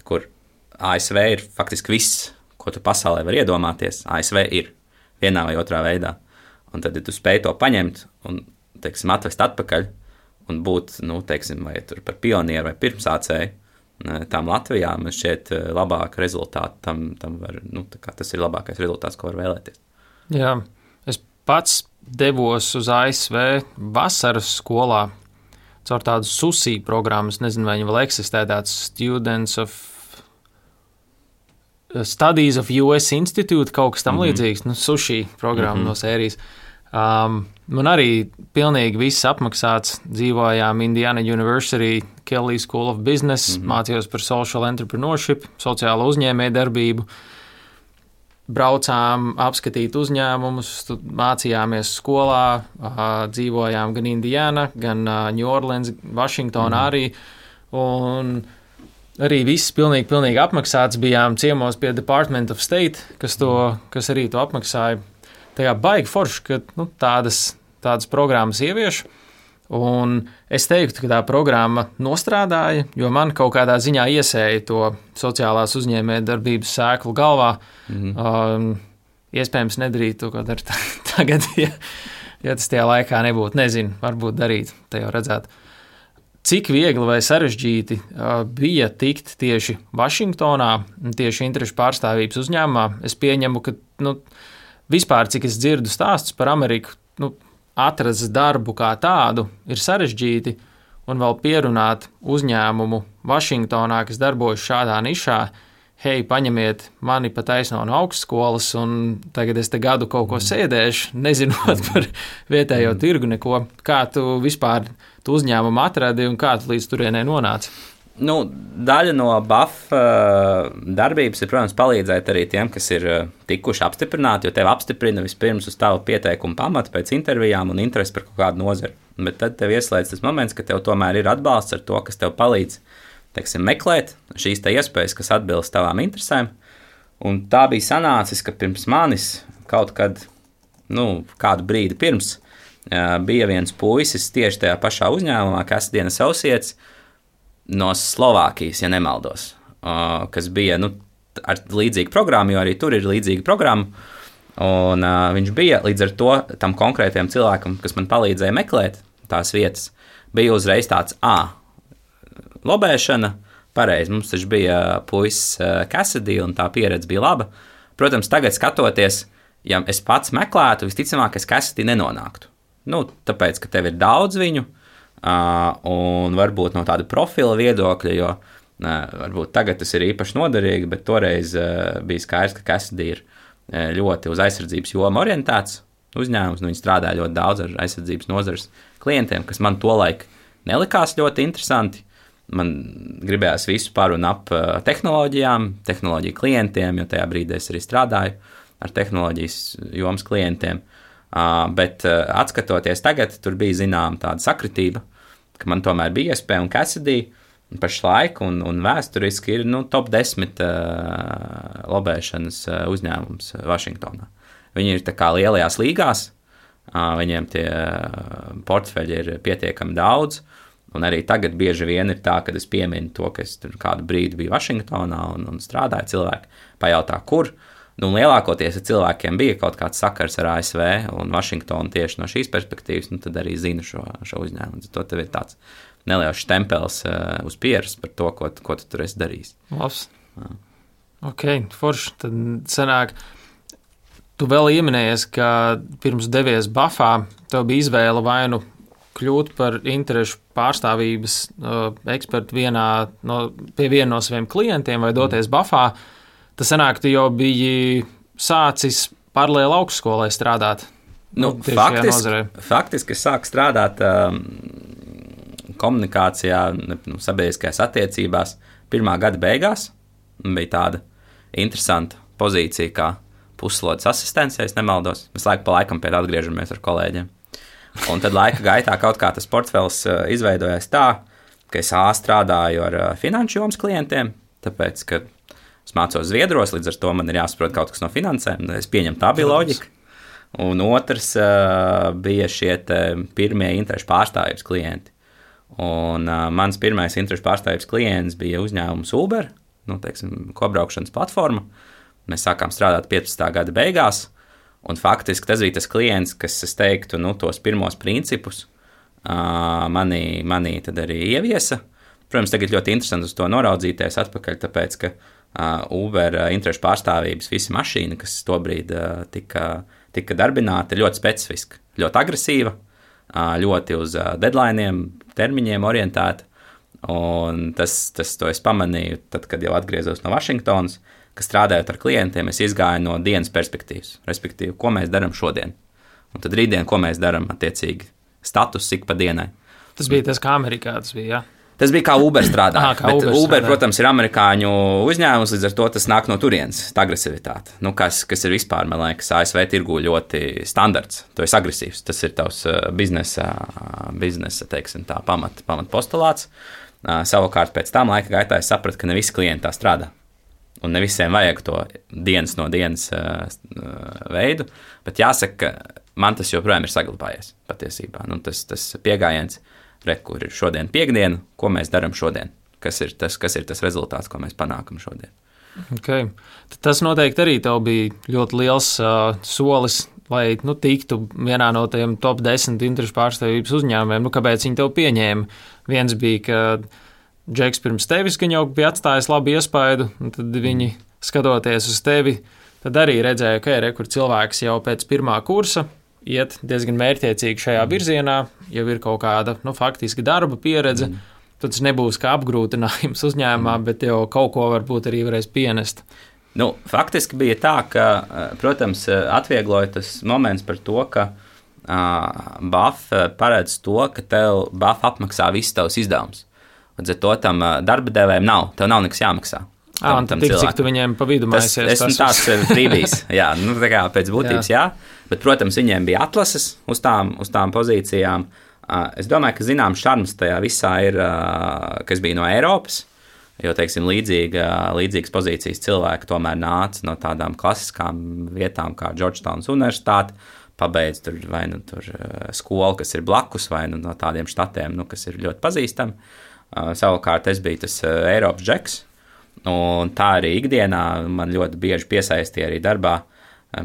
kur ASV ir faktiski viss, ko tu pasaulē var iedomāties. ASV ir vienā vai otrā veidā. Un tad, ja tu spēj to paņemt un, teiksim, atvest atpakaļ un būt, teiksim, vai tur par pionieru vai pirmsācēju, tām Latvijā man šķiet labāka rezultāta. Tam var, tas ir labākais rezultāts, ko var vēlēties. Jā, es pats devos uz ASV vasaras skolā caur tādu SUSI programmu. Es nezinu, vai viņi vēl eksistē, tāds Studies of US Institute, kaut kas tam līdzīgs, SUSI programma no sērijas. Man arī pilnīgi viss apmaksāts. Dzīvojām Indiana University, Kelley School of Business, mācījos par social entrepreneurship, sociālo uzņēmējdarbību. Braucām apskatīt uzņēmumus, mācījāmies skolā, dzīvojām gan Indiana, gan New Orleans, Vašingtonā arī. Un arī viss pilnīgi apmaksāts. Bijām ciemos pie Department of State, kas arī to apmaksāja. Tajā baigi forši, ka tādas programmas ievieš. Un es teiktu, ka tā programma nostrādāja, jo man kaut kādā ziņā iesēja to sociālās uzņēmējdarbības sēklu galvā. Iespējams nedarīt to, ko dar tagad, ja tas tajā laikā nebūtu. Nezinu, varbūt darīt, te jau redzētu. Cik viegli vai sarežģīti bija tikt tieši Vašingtonā, tieši interešu pārstāvības uzņēmumā. Es pieņemu, ka vispār, cik es dzirdu stāstus par Ameriku, atrast darbu kā tādu ir sarežģīti, un vēl pierunāt uzņēmumu Vašingtonā, kas darbojas šādā nišā, hei, paņemiet mani pa taisno no augstskolas, un tagad es te gadu kaut ko sēdēšu, nezinot par vietējo tirgu neko. Kā tu vispār tu uzņēmumu atradi un kā tu līdz turienei nonāci? Daļa no BAF darbības ir, protams, palīdzēt arī tiem, kas ir tikuši apstiprināti, jo tev apstiprina vispirms uz tavu pieteikumu pamatu pēc intervijām un interesi par kaut kādu nozari. Bet tad tev ieslēdz tas moments, ka tev tomēr ir atbalsts ar to, kas tev palīdz, teiksim, meklēt šīs te iespējas, kas atbilst tavām interesēm. Un tā bija sanācis, ka pirms manis kaut kad, kādu brīdi pirms, bija viens puisis tieši tajā pašā uzņēmumā, kas Dienas Associates, no Slovākijas, ja nemaldos, kas bija ar līdzīgu programmu, jo arī tur ir līdzīga programma. Un viņš bija līdz ar to tam konkrētajam cilvēkam, kas man palīdzēja meklēt tās vietas, bija uzreiz tāds lobēšana. Pareizi, mums taču bija puisis Cassidy, un tā pieredze bija laba. Protams, tagad skatoties, ja es pats meklētu, visticamāk, es Cassidy nenonāktu. Tāpēc, ka tev ir daudz viņu, un varbūt no tāda profila viedokļa, jo varbūt tagad tas ir īpaši noderīgi, bet toreiz bija skaidrs, ka Cassidy ir ļoti uz aizsardzības jomu orientēts uzņēmums, viņi strādā ļoti daudz ar aizsardzības nozares klientiem, kas man tolaik nelikās ļoti interesanti. Man gribējās visu par un ap tehnoloģijām, tehnoloģiju klientiem, jo tajā brīdī es arī strādāju ar tehnoloģijas jomas klientiem. Bet atskatoties tagad, tur bija zinām tāda sakritība, ka man tomēr bija iespēja un Cassidy pašlaik un vēsturiski ir top 10 lobēšanas uzņēmums Vašingtonā. Viņi ir tā kā lielajās līgās, viņiem tie portfeļi ir pietiekami daudz, un arī tagad bieži vien ir tā, kad es pieminu to, ka es tur kādu brīdi biju Vašingtonā un strādāju, cilvēki pajautā, kur. Lielākoties, ja cilvēkiem bija kaut kāds sakars ar ASV un Vašingtonu tieši no šīs perspektīvas, tad arī zina šo uzņēmumu. To tev ir tāds neliels štempels uz pieres par to, ko tu tur esi darījis. Labs. Ok, forši. Tad sanāk, tu vēl ieminējies, ka pirms devies Bafā, tev bija izvēle vai nu kļūt par interešu pārstāvības ekspertu pie viena no saviem klientiem vai doties Bafā. Tas sanāk, tu jau biji sācis paralēli augstskolai strādāt. Faktiski es sāku strādāt komunikācijā, sabiedriskajās attiecībās pirmā gada beigās. Bija tāda interesanta pozīcija kā puslodes asistents, ja es nemaldos. Mēs laiku pa laikam pie tā atgriežamies ar kolēģiem. Un tad laika gaitā kaut kā tas portfels izveidojās tā, ka es strādāju ar finanšu jomas klientiem, tāpēc, ka es mācos Zviedros, līdz ar to man ir jāsaprot kaut kas no finansēm. Es pieņemu, tā bija loģika. Un otrs bija šie pirmie interešu pārstāvības klienti. Un mans pirmais interešu pārstāvības klients bija uzņēmums Uber, kobraukšanas platforma. Mēs sākām strādāt 15. gada beigās, un faktiski tas bija tas klients, kas, es teiktu, tos pirmos principus manī tad arī ieviesa. Protams, tagad ļoti interesanti uz to noraudzīties atpakaļ, tāpēc, ka Uber interešu pārstāvības visa mašīna, kas tobrīd tika darbināta, ir ļoti specifiska, ļoti agresīva, ļoti uz deadlineiem, termiņiem orientēta. Un to es pamanīju, tad, kad jau atgriezos no Vašingtonas, ka strādājot ar klientiem, es izgāju no dienas perspektīvas, respektīvi, ko mēs darām šodien. Un tad rītdien, ko mēs darām attiecīgi status ik pa dienai. Tas bija tas, kā Amerikā tas bija, jā? Tas bija kā Uber strādāja. Uber, protams, ir amerikāņu uzņēmums, līdz ar to tas nāk no turienes, tā agresivitāte. Kas ir vispār, man liekas, ASV tirgu ļoti standarts. Tu esi agresīvs, tas ir tavs biznesa teiksim tā, pamat postulāts. Savukārt pēc tam laika gaitā es sapratu, ka ne visi klienti tā strādā. Un ne visiem vajag to dienas no dienas veidu, bet jāsaka, ka man tas joprojām ir saglabājies patiesībā. Tas pieejams. Kur ir šodien piekdiena, ko mēs darām šodien, kas ir tas rezultāts, ko mēs panākam šodien. Okay. Tas noteikti arī tev bija ļoti liels solis, lai tiktu vienā no tiem top 10 interešu pārstāvības uzņēmumiem. Kāpēc viņi tev pieņēma? Viens bija, ka Džeks pirms tevis jau bija atstājis labu iespaidu, un tad viņi, skatoties uz tevi, tad arī redzēja, ka kur cilvēks jau pēc pirmā kursa iet diezgan mērķiecīgi šajā virzienā, jau ir kaut kāda faktiski darba pieredze, tad tas nebūs kā apgrūtinājums uzņēmumā, bet jau kaut ko varbūt arī varēs pienest. Faktiski bija tā, ka, protams, atviegloja tas moments par to, ka BAF paredz to, ka tev BAF apmaksā visus tavus izdevumus. Līdz ar to tam darba devējiem tev nav nekas jāmaksā. Un tad cik tu viņiem pa vidu maisies? Esmu tāds brīvīs, jā, tā kā pēc būtības jā, bet, protams, viņiem bija atlases uz tām pozīcijām. Es domāju, ka zināms šarms tajā visā ir, kas bija no Eiropas, jo, teiksim, līdzīgas pozīcijas cilvēki tomēr nāca no tādām klasiskām vietām kā Georgetownas universitāte, pabeidz tur vai tur skolu, kas ir blakus, vai no tādiem štatiem, kas ir ļoti pazīstami. Savukārt es biju tas Eiropas džeks, un tā arī ikdienā man ļoti bieži piesaistīja arī darbā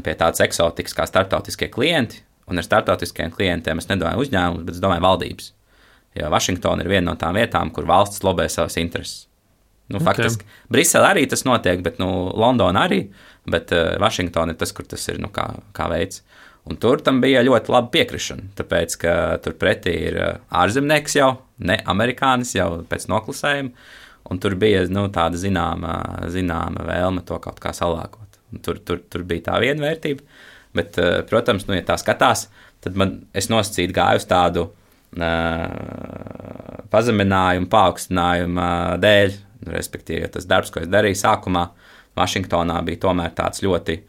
pie tādas eksotikas kā starptautiskie klienti, un ar starptautiskiem klientiem es nedomāju uzņēmumus, bet es domāju valdības. Jo Vašingtona ir viena no tām vietām, kur valsts lobē savas intereses. Faktiski Brisele arī tas notiek, bet Londona arī, bet Vašingtona ir tas, kur tas ir kā veids. Un tur tam bija ļoti laba piekrišana, tāpēc, ka tur pretī ir ārzemnieks jau, ne amerikānis jau pēc noklusējuma, un tur bija tāda zināma vēlme to kaut kā salāgot. Tur bija tā viena vērtība, bet, protams, ja tā skatās, tad es nosacīti gāju uz tādu pazeminājumu, paaugstinājumu dēļ, respektīvi, tas darbs, ko es darīju sākumā, Vašingtonā bija tomēr tāds ļoti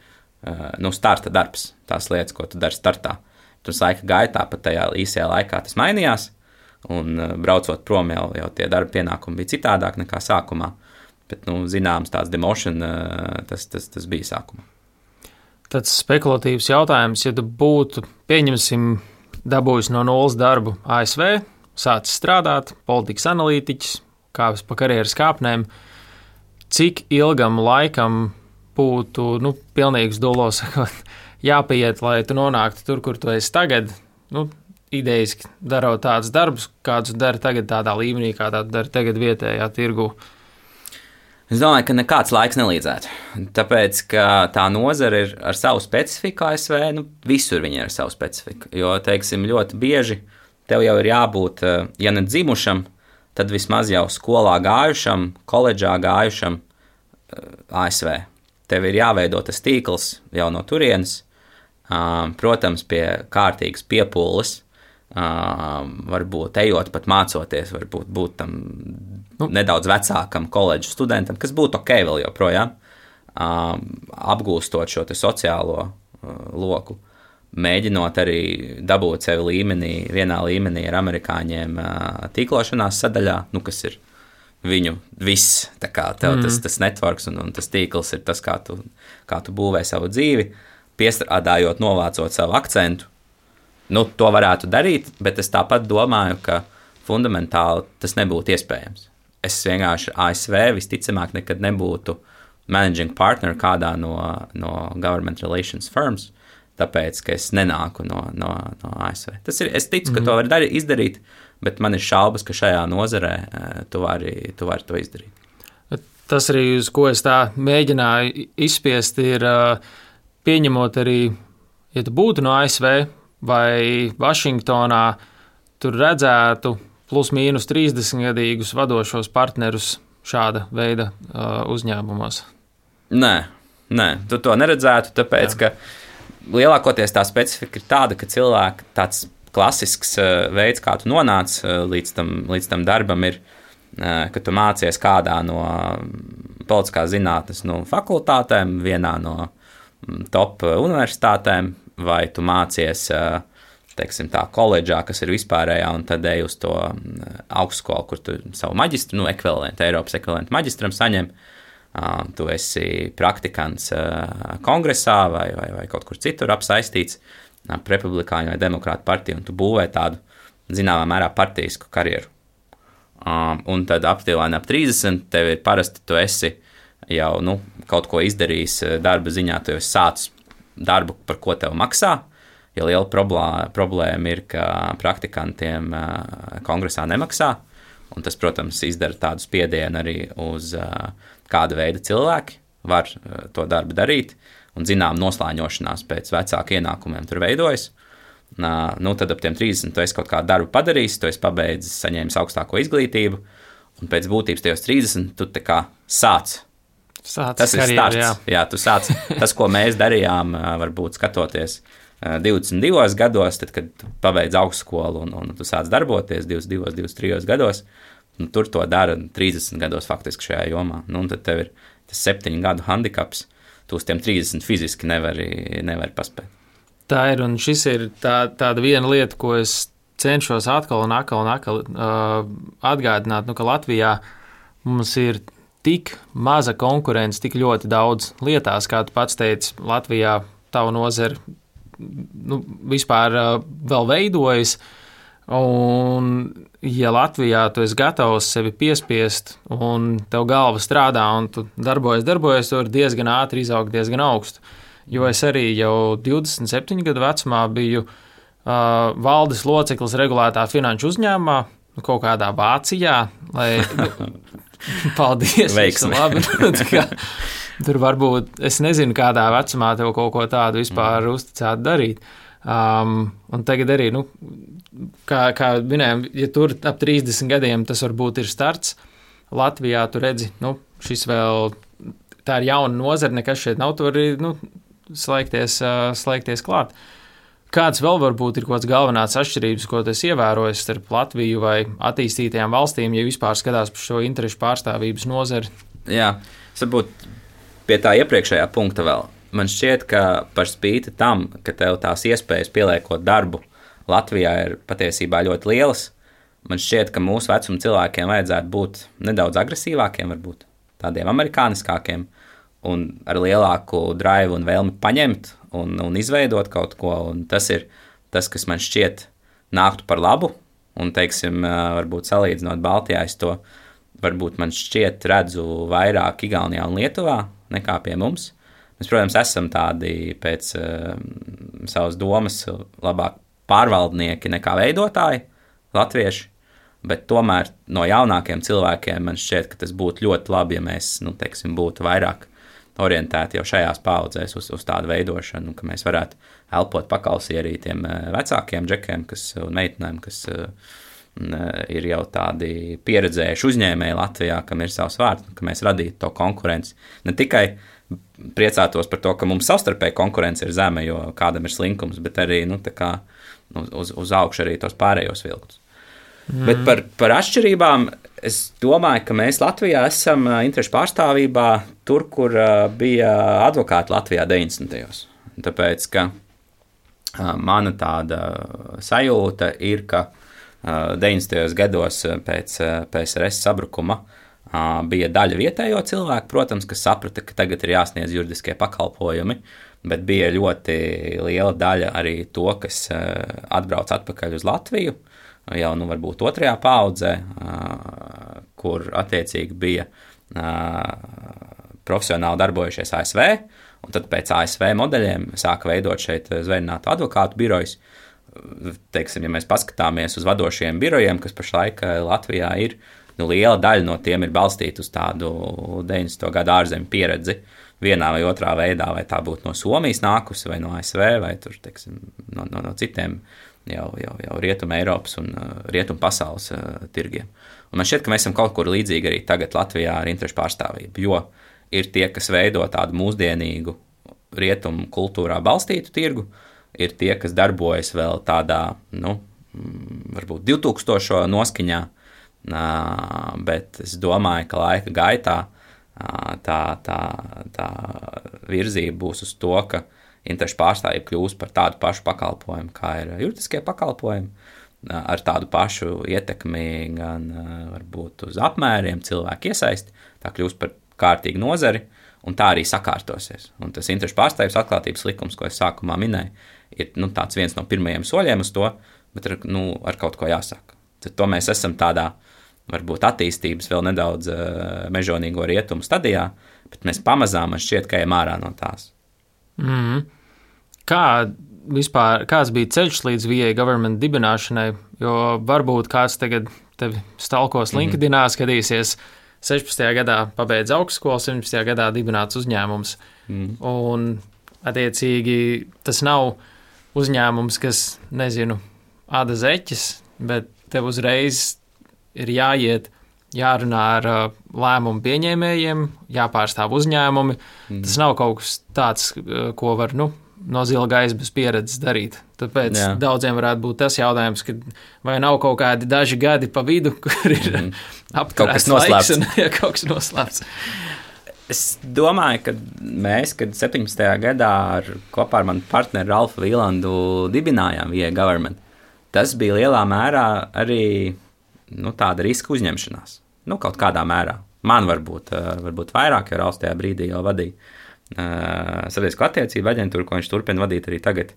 starta darbs, tās lietas, ko tu dari startā. Tas laika gaitā, pat tajā īsajā laikā tas mainījās, un braucot prom jau tie darba pienākumi bija citādāk nekā sākumā. Bet, zināms, tāds demotion, tas bija sākumā. Tāds spekulatīvs jautājums, ja tu būtu, pieņemsim, dabūjis no nulles darbu ASV, sācis strādāt, politikas analītiķis, kāpis pa karjeras kāpnēm, cik ilgam laikam būtu, pilnīgs dolos jāpieiet, lai tu nonāktu tur, kur tu esi tagad, idejiski darot tādus darbus, kādus dari tagad tādā līmenī, kādā tu dari tagad vietējā tirgu? Es domāju, ka nekāds laiks nelīdzētu. Tāpēc, ka tā nozara ir ar savu specifiku ASV, visur viņi ir ar savu specifiku. Jo, teiksim, ļoti bieži tev jau ir jābūt, ja ne dzimušam, tad vismaz jau skolā gājušam, koledžā gājušam ASV. Tev ir jāveido tas tīkls jau no turienes, protams, pie kārtīgas piepūles, varbūt ejot pat mācoties, varbūt būt tam nedaudz vecākam koledžu studentam, kas būtu ok vēl joprojām, apgūstot šo te sociālo loku, mēģinot arī dabūt sevi vienā līmenī ar amerikāņiem tīklošanās sadaļā, kas ir viņu viss, tā kā tev tas networks un tas tīkls ir tas, kā tu būvē savu dzīvi, piestrādājot, novācot savu akcentu. To varētu darīt, bet es tāpat domāju, ka fundamentāli tas nebūtu iespējams. Es vienkārši ASV visticamāk nekad nebūtu managing partner kādā no government relations firms, tāpēc, ka es nenāku no ASV. Es ticu, ka to var izdarīt, bet man ir šaubas, ka šajā nozarē tu vari to izdarīt. Tas arī, uz ko es tā mēģināju izspiest, ir pieņemot arī, ja tu būtu no ASV vai Vašingtonā, tur redzētu plus mīnus 30-gadīgus vadošos partnerus šāda veida uzņēmumos. Nē, tu to neredzētu, tāpēc, ka lielākoties tā specifika ir tāda, ka cilvēki tāds klasisks veids, kā tu nonāc līdz tam darbam, ir, ka tu mācies kādā no politiskās zinātnes fakultātēm, vienā no top universitātēm, vai tu mācies, teiksim, tā koledžā, kas ir vispārējā, un tad ej uz to augstskolu, kur tu savu maģistru, Eiropas ekvivalentu maģistram saņem. Tu esi praktikants kongresā vai kaut kur citur apsaistīts ap republikāņu vai demokrātu partiju, un tu būvē tādu, zināmā mērā, partisku karjeru. Un tad apstākļi ap 30, tev ir parasti, tu esi jau kaut ko izdarījis darba ziņā, tu jau esi sācis darbu, par ko tev maksā, jo liela problēma ir, ka praktikantiem kongresā nemaksā, un tas, protams, izdara tādu spiedienu arī uz kāda veida cilvēki var to darbu darīt, un zinām noslāņošanās pēc vecāku ienākumiem tur veidojas. Tad ap tiem 30 tu esi kaut kādu darbu padarījis, tu esi pabeidzis, saņēmis augstāko izglītību, un pēc būtības tajos 30 tu tā kā sāc. Tas ir starts. Jā, tu sāc. Tas, ko mēs darījām, varbūt skatoties 22 gados, tad, kad pabeidz augstskolu un tu sāc darboties 22, 23 gados, tur to dara 30 gados faktiski šajā jomā. Tad tev ir tas 7 gadu handikaps, tu uz tiem 30 fiziski nevari paspēt. Tā ir, un šis ir tāda viena lieta, ko es cenšos atkal atgādināt, ka Latvijā mums ir tik maza konkurence, tik ļoti daudz lietās, kā tu pats teici, Latvijā tavu nozari vispār vēl veidojas, un ja Latvijā tu esi gatavs sevi piespiest, un tev galva strādā, un tu darbojies, tu vari diezgan ātri izaugt diezgan augstu. Jo es arī jau 27 gadu vecumā biju valdes loceklis regulētā finanšu uzņēmumā, kaut kādā Vācijā, lai... Paldies! Veiksmi! Labi, tur varbūt, es nezinu, kādā vecumā tev kaut ko tādu vispār uzticētu darīt. Un tagad arī, kā minējām, ja tur ap 30 gadiem tas varbūt ir starts, Latvijā tu redzi, šis vēl, tā ir jauna nozara, nekas šeit nav, tu vari, slēgties klāt. Kāds vēl varbūt ir kaut kāds galvenās atšķirības, ko tu esi ievērojis starp Latviju vai attīstītajām valstīm, ja vispār skatās par šo interešu pārstāvības nozari? Jā, varbūt pie tā iepriekšējā punkta vēl. Man šķiet, ka par spīti tam, ka tev tās iespējas pieliekot darbu Latvijā ir patiesībā ļoti lielas, Man šķiet, ka mūsu vecuma cilvēkiem vajadzētu būt nedaudz agresīvākiem, varbūt tādiem amerikāniskākiem, un ar lielāku drive un vēlmi paņemt un izveidot kaut ko. Un tas ir tas, kas man šķiet nāktu par labu. Un, teiksim, varbūt salīdzinot Baltijā, es to varbūt man šķiet redzu vairāk Igaunijā un Lietuvā nekā pie mums. Mēs, protams, esam tādi pēc savas domas labāk pārvaldnieki nekā veidotāji, latvieši, bet tomēr no jaunākiem cilvēkiem man šķiet, ka tas būtu ļoti labi, ja mēs, teiksim, būtu vairāk orientēti jau šajās paudzēs uz tādu veidošanu, ka mēs varētu elpot pakausī arī tiem vecākiem džekiem un meitenēm, kas ir jau tādi pieredzējuši uzņēmēji Latvijā, kam ir savs vārds, ka mēs radītu to konkurenci. Ne tikai priecātos par to, ka mums savstarpēji konkurence ir zeme, jo kādam ir slinkums, bet arī uz augšu arī tos pārējos vilkus. Bet par atšķirībām es domāju, ka mēs Latvijā esam interešu pārstāvībā tur, kur bija advokāti Latvijā 90. Tāpēc, ka mana tāda sajūta ir, ka 90. gados pēc PSRS sabrukuma bija daļa vietējo cilvēku, protams, kas saprata, ka tagad ir jāsniedz juridiskie pakalpojumi, bet bija ļoti liela daļa arī to, kas atbrauc atpakaļ uz Latviju, jau varbūt otrajā paudzē, kur attiecīgi bija profesionāli darbojušies ASV, un tad pēc ASV modeļiem sāka veidot šeit zvērinātu advokātu birojus. Teiksim, ja mēs paskatāmies uz vadošajiem birojiem, kas pašlaik Latvijā ir, liela daļa no tiem ir balstīta uz tādu 90. gadu ārzemju pieredzi vienā vai otrā veidā, vai tā būtu no Somijas nākusi, vai no ASV, vai tur, teiksim, no citiem jau rietuma Eiropas un rietuma pasaules tirgiem. Un man šķiet, ka mēs esam kaut kur līdzīgi arī tagad Latvijā ar interešu pārstāvību, jo ir tie, kas veido tādu mūsdienīgu rietumu kultūrā balstītu tirgu, ir tie, kas darbojas vēl tādā, varbūt 2000 noskaņā, bet es domāju, ka laika gaitā tā virzība būs uz to, ka interešu pārstāvība kļūs par tādu pašu pakalpojumu, kā ir juridiskie pakalpojumi, ar tādu pašu ietekmi gan varbūt uz apmēriem, cilvēku iesaisti, tā kļūs par kārtīgu nozari, un tā arī sakārtosies. Un tas interešu pārstāvības atklātības likums, ko es sākumā minēju, ir tāds viens no pirmajiem soļiem uz to, bet ar kaut ko jāsāk. Tad to mēs esam tādā, varbūt attīstības vēl nedaudz mežonīgo rietumu stadijā, bet mēs pamazām man šķiet, ka ejam ārā no tās. Kāds bija ceļš līdz VA government dibināšanai, jo varbūt kāds tagad tevi stalkos LinkedInā, skatīsies 16. gadā pabeidz augstskolu, 17. gadā dibināts uzņēmums. Un, attiecīgi, tas nav uzņēmums, kas, āda zeķis, bet tev uzreiz ir jāiet, jārunā ar lēmumu pieņēmējiem, jāpārstāv uzņēmumi. Tas nav kaut kas tāds, ko var, no zila gaisa bez pieredzes darīt. Tāpēc daudziem varētu būt tas jautājums, ka vai nav kaut kādi daži gadi pa vidu, kur ir apturēts laiks un kaut kas noslēpts. Es domāju, ka mēs, kad 17. gadā kopā ar manu partneri Ralfu Vīlandu dibinājām VA Government, tas bija lielā mērā arī tāda riska uzņemšanās. Kaut kādā mērā. Man varbūt vairāk, jo Ralfs tajā brīdī jau vadīja sabiedrisko attiecību aģentūru, ko viņš turpina vadīt arī tagad.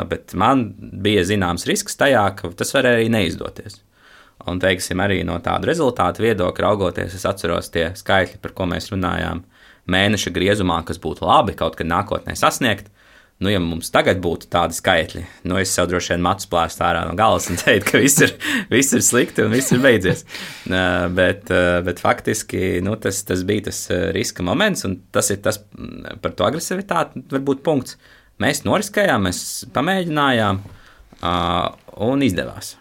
Bet man bija zināms risks tajā, ka tas var arī neizdoties. Un, teiksim, arī no tāda rezultātu viedokļa raugoties, es atceros tie skaitļi, par ko mēs runājām mēneša griezumā, kas būtu labi kaut kad nākotnē sasniegt. Ja mums tagad būtu tādi skaitļi, es sev droši vien matu plēstu ārā no galas un teiktu, ka viss ir slikti un viss ir beidzies. Bet faktiski tas bija tas riska moments, un tas ir tas par to agresivitāti, varbūt punkts. Mēs noriskējām, mēs pamēģinājām un izdevās.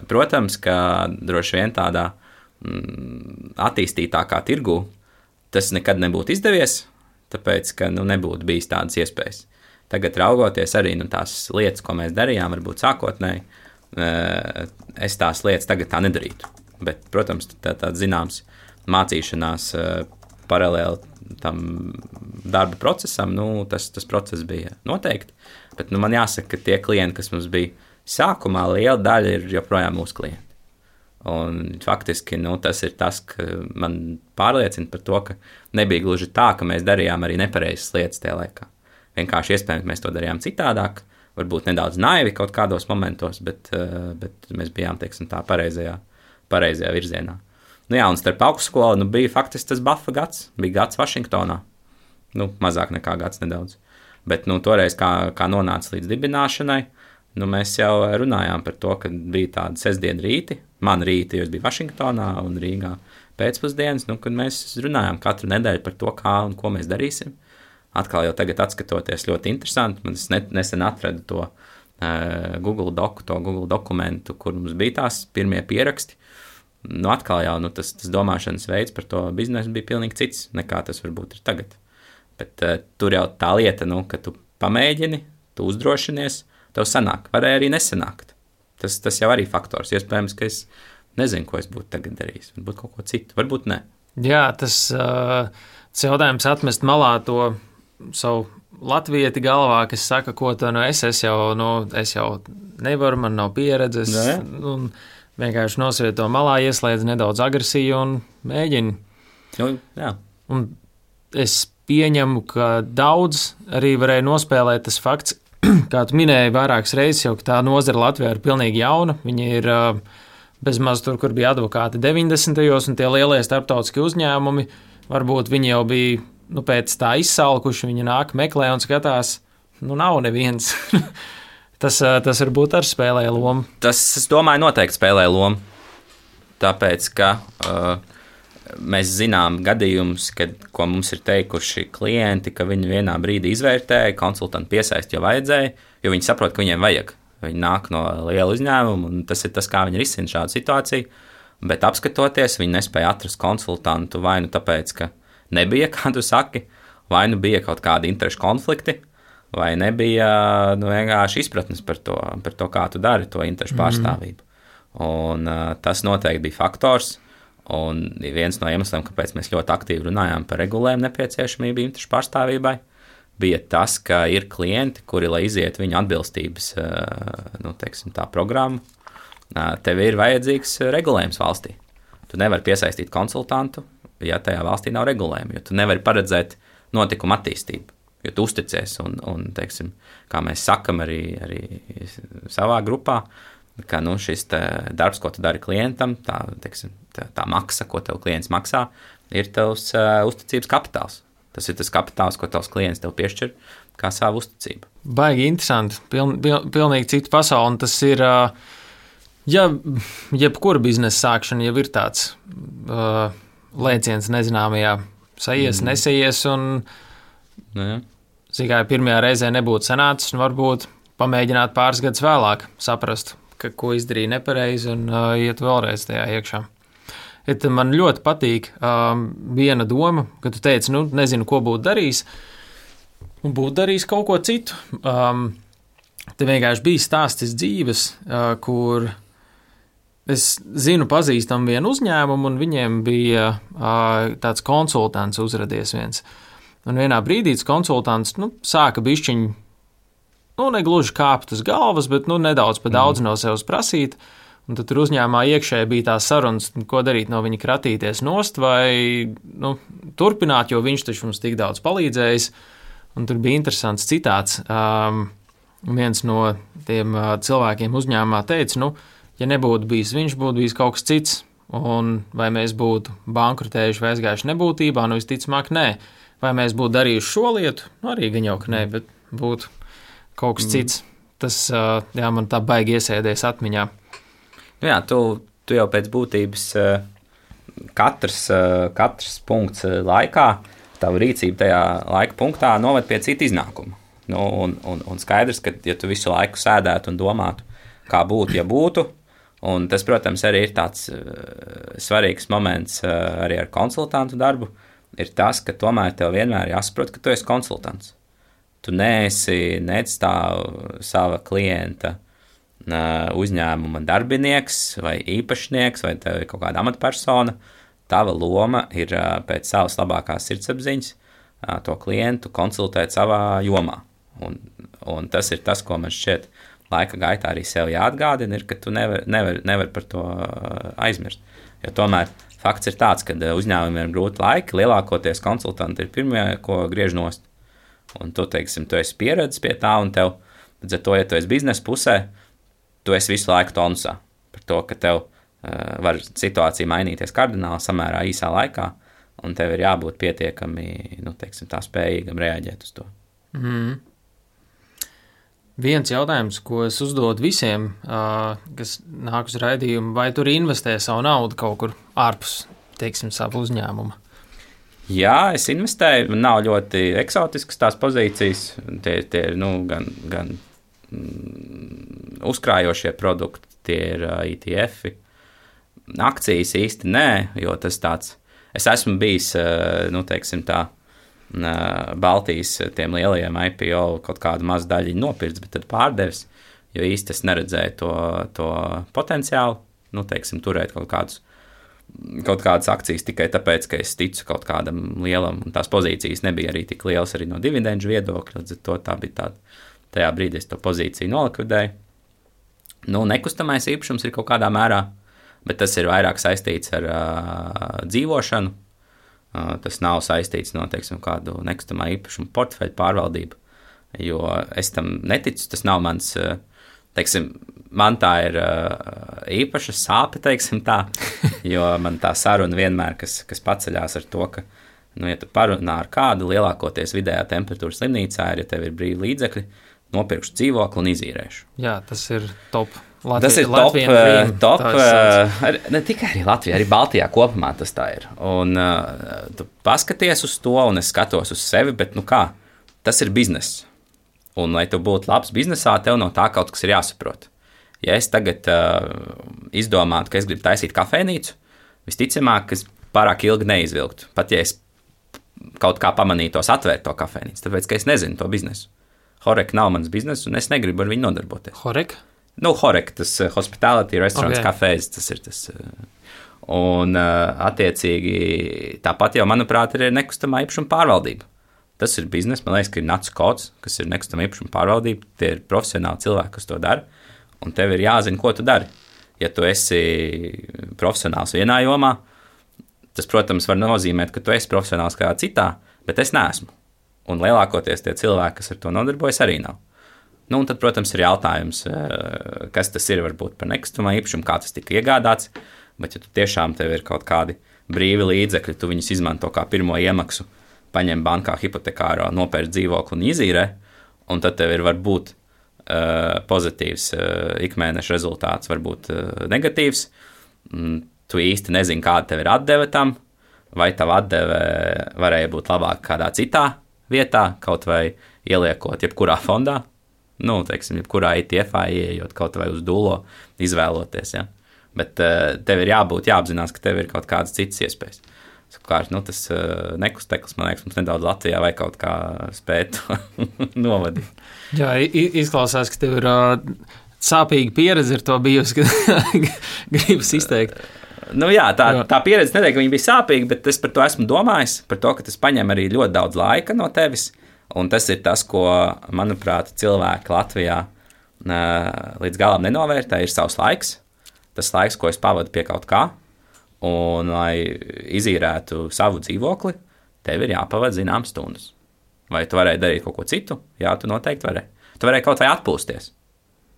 Protams, ka droši vien tādā attīstītākā tirgu tas nekad nebūtu izdevies, tāpēc, ka nebūtu bijis tādas iespējas. Tagad raugoties arī tās lietas, ko mēs darījām, varbūt sākotnēji, es tās lietas tagad tā nedarītu. Bet, protams, tāds zināms mācīšanās paralēli tam darba procesam, tas process bija noteikti. Bet man jāsaka, ka tie klienti, kas mums bija sākumā, liela daļa ir joprojām mūsu klienti. Un faktiski tas ir tas, ka man pārliecina par to, ka nebija gluži tā, ka mēs darījām arī nepareizas lietas tajā laikā. Vienkārši iespējams mēs to darījām citādāk, varbūt nedaudz naivi kaut kādos momentos, bet mēs bijām, teiksim, tā pareizajā virzienā. Jā, un starp augstskolu bija faktiski tas buffa gads, bija gads Vašingtonā. Mazāk nekā gads nedaudz. Bet toreiz, kā nonāca līdz dibināšanai, mēs jau runājām par to, ka bija tāda sestdiena rīti, man rīti, jo es biju Vašingtonā un Rīgā pēcpusdienas, kad mēs runājām katru nedēļu par to, kā un ko mēs darīsim. Atkal jau tagad atskatoties ļoti interesanti, man nesen atradu to Google dokumentu, kur mums bija tās pirmie pieraksti. Atkal jau tas domāšanas veids par to biznesu bija pilnīgi cits, nekā tas varbūt ir tagad. Bet tur jau tā lieta, ka tu pamēģini, tu uzdrošinies, tev sanāk, varēja arī nesanākt. Tas jau arī faktors. Iespējams, ka es nezinu, ko es būtu tagad darījis. Varbūt kaut ko citu, varbūt ne. Jā, tas jautājums atmest malā to savu latvieti galvā, kas saka, ko to es jau nevaru, man nav pieredzes. Un vienkārši nosviet to malā, ieslēdz nedaudz agresiju un mēģini. Jā. Un es pieņemu, ka daudz arī varēja nospēlēt tas fakts, kā tu minēji vairākas reizes, jau ka tā nozara Latvijā ir pilnīgi jauna. Viņi ir bezmaz tur, kur bija advokāti 90. un tie lielie starptautiskie uzņēmumi. Varbūt viņi jau bija pēc tā izsalkuši, viņi nāk, meklē un skatās, nav neviens. Tas varbūt arī spēlē lomu. Tas, es domāju, noteikti spēlē lomu. Tāpēc, ka mēs zinām gadījumus, ko mums ir teikuši klienti, ka viņi vienā brīdī izvērtēja, konsultantu piesaist, jo vajadzēja, jo viņi saprot, ka viņiem vajag. Viņi nāk no liela uzņēmuma, un tas ir tas, kā viņi risina šādu situāciju. Bet apskatoties, viņi nespēja atrast konsultantu vai tāpēc, ka nebija, kā tu saki, vai bija kaut kādi interešu konflikti, vai nebija vienkārši izpratnes par to, kā tu dari to interešu pārstāvību. Un tas noteikti bija faktors. Un viens no iemesliem, kāpēc mēs ļoti aktīvi runājām par regulējumu nepieciešamību interešu pārstāvībai, bija tas, ka ir klienti, kuri, lai iziet viņu atbilstības programmu, tev ir vajadzīgs regulējums valstī. Tu nevari piesaistīt konsultantu, ja tajā valstī nav regulējuma, jo tu nevari paredzēt notikumu attīstību, jo tu uzticies un teiksim, kā mēs sakam arī savā grupā, ka šis darbs, ko tu dari klientam, tā maksa, ko tev klients maksā, ir tavs uzticības kapitāls. Tas ir tas kapitāls, ko tavs klients tev piešķir kā savu uzticību. Baigi interesanti. Pilnīgi cita pasaule. Un tas ir, ja jebkura biznesa sākšana jau ir tāds lēciens nezināmajā, sajies, nesaies, un tikai pirmajā reizē nebūtu sanācis, un varbūt pamēģināt pāris gadus vēlāk saprast, ko izdarīja nepareizi, un iet vēlreiz tajā iekšā. Man ļoti patīk viena doma, ka tu teici, nezinu, ko būtu darījis, un būtu darījis kaut ko citu. Te vienkārši bija stāstis dzīves, kur es zinu, pazīstam vienu uzņēmumu, un viņiem bija tāds konsultants uzradies viens. Un vienā brīdī tas konsultants sāka bišķiņ, negluži kāpt uz galvas, bet nedaudz pa daudz no sevis prasīt. Un tad tur uzņēmumā iekšēji bija tās sarunas, ko darīt no viņa kratīties nost vai turpināt, jo viņš taču mums tik daudz palīdzējis. Un tur bija interesants citāts. Viens no tiem cilvēkiem uzņēmumā teica, ja nebūtu bijis viņš, būtu bijis kaut kas cits. Un vai mēs būtu bankrotējuši vai aizgājuši nebūtībā, visticamāk nē. Vai mēs būtu darījuši šo lietu? Arī gan jau, ka nē, bet būtu kaut kas cits. Tas man tā baigi iesēdies atmiņā. Jā, tu jau pēc būtības katrs punkts laikā, tavu rīcību tajā laika punktā noved pie cita iznākuma. Un skaidrs, ka ja tu visu laiku sēdētu un domātu, kā būtu, ja būtu, un tas, protams, arī ir tāds svarīgs moments arī ar konsultantu darbu, ir tas, ka tomēr tev vienmēr jāsaprot, ka tu esi konsultants. Tu neesi sava klienta uzņēmuma darbinieks vai īpašnieks vai tev ir kaut kāda amatpersona. Tava loma ir pēc savas labākās sirdsapziņas to klientu konsultēt savā jomā. Un tas ir tas, ko man šķiet laika gaitā arī sev jāatgādina, ir, ka tu nevar par to aizmirst. Jo tomēr fakts ir tāds, ka uzņēmumiem ir grūti laiki, lielākoties konsultanti ir pirmie, ko griež nost. Un tu, teiksim, tu esi pieredzis pie tā, un tev, līdz ar to, ja tu esi biznesa pusē, tu esi visu laiku tonusā par to, ka tev var situācija mainīties kardināli samērā īsā laikā, un tev ir jābūt pietiekami, teiksim, tā spējīgam reaģēt uz to. Viens jautājums, ko es uzdodu visiem, kas nāk uz raidījumu, vai tur investē savu naudu kaut kur ārpus, teiksim, savu uzņēmumu? Jā, es investēju, man nav ļoti eksotiskas tās pozīcijas, tie ir, gan uzkrājošie produkti, tie ir ETF-i, akcijas īsti nē, jo tas tāds, es esmu bijis, teiksim tā, Baltijas tiem lielajiem IPO kaut kādu mazu daļiņu nopirts, bet tad pārdevis, jo īsti es neredzēju to potenciālu, teiksim, turēt kaut kādas akcijas tikai tāpēc, ka es ticu kaut kādam lielam, un tās pozīcijas nebija arī tik lielas arī no dividendžu viedokļa, līdz ar to tā bija tāda, tajā brīdī es to pozīciju nolikvidēju. Nekustamais īpašums ir kaut kādā mērā, bet tas ir vairāk saistīts ar dzīvošanu. Tas nav saistīts no, teiksim, kādu nekustamā īpašumu portfeļu pārvaldību, jo es tam neticu, tas nav mans, teiksim, man tā ir īpaša sāpe, teiksim tā, jo man tā saruna vienmēr, kas paceļās ar to, ka, ja tu parunā ar kādu, lielākoties vidējā temperatūras slimnīcā ir, ja tev ir brīvi līdzekļi, nopirkšu dzīvokli un izīrēšu. Jā, tas ir top. Tas ir top, ne tikai arī Latvijā, arī Baltijā kopumā tas tā ir. Un tu paskaties uz to, un es skatos uz sevi, bet tas ir bizness. Un, lai tu būtu labs biznesā, tev no tā kaut kas ir jāsaprot. Ja es tagad izdomātu, ka es gribu taisīt kafejnīcu, visticamāk, ka es pārāk ilgi neizvilktu, pat ja es kaut kā pamanītos atvērt to kafejnīcu, tāpēc, ka es nezinu to biznesu. Horek nav mans bizness, un es negribu ar viņu nodarboties. Horek? Horek, tas hospitality, restaurants, kafejs, tas ir tas. Un, attiecīgi, tāpat jau, manuprāt, ir nekustamā īpašuma pārvaldība. Tas ir biznes, man liekas, ka ir NACS kods, kas ir nekustamā īpašuma pārvaldība. Tie ir profesionāli cilvēki, kas to dara, un tev ir jāzina, ko tu dari. Ja tu esi profesionāls vienā jomā, tas, protams, var nozīmēt, ka tu esi profesionāls kādā citā, bet es neesmu. Un lielākoties tie cilvēki, kas ar to nodarbojas, arī nav. Un tad, protams, ir jautājums, kas tas ir varbūt par nekustamā īpašumu, kā tas tika iegādāts, bet ja tu tiešām tev ir kaut kādi brīvi līdzekļi, tu viņus izmanto kā pirmo iemaksu, paņem bankā hipotekāro, nopērc dzīvokli un izīrē, un tad tev ir varbūt pozitīvs ikmēneša rezultāts, varbūt negatīvs, tu īsti nezini, kāda tev ir atdeve tam, vai tava atdeve varēja būt labāk kādā citā vietā, kaut vai ieliekot jebkurā fondā, teiksim, jebkurā ETF-ā ieejot kaut vai uz dūlo, izvēloties, ja. Bet tev ir jāapzinās, ka tev ir kaut kādas citas iespējas. Sakārt, tas nekusteklis, man liekas, mums nedaudz Latvijā vai kaut kā spēt novadīt. Jā, izklausās, ka tev ir sāpīga pieredze ar to bijusi, ka gribas izteikt. Tā pieredze neteikti, ka viņa bija sāpīga, bet es par to esmu domājis, par to, ka tas paņem arī ļoti daudz laika no tevis. Un tas ir tas, ko, manuprāt, cilvēki Latvijā līdz galam nenovērtē, ir savs laiks. Tas laiks, ko es pavadu pie kaut kā, un, lai izīrētu savu dzīvokli, tev ir jāpavada zināmas stundas. Vai tu varēji darīt kaut ko citu? Jā, tu noteikti varēji. Tu varēji kaut vai atpūsties,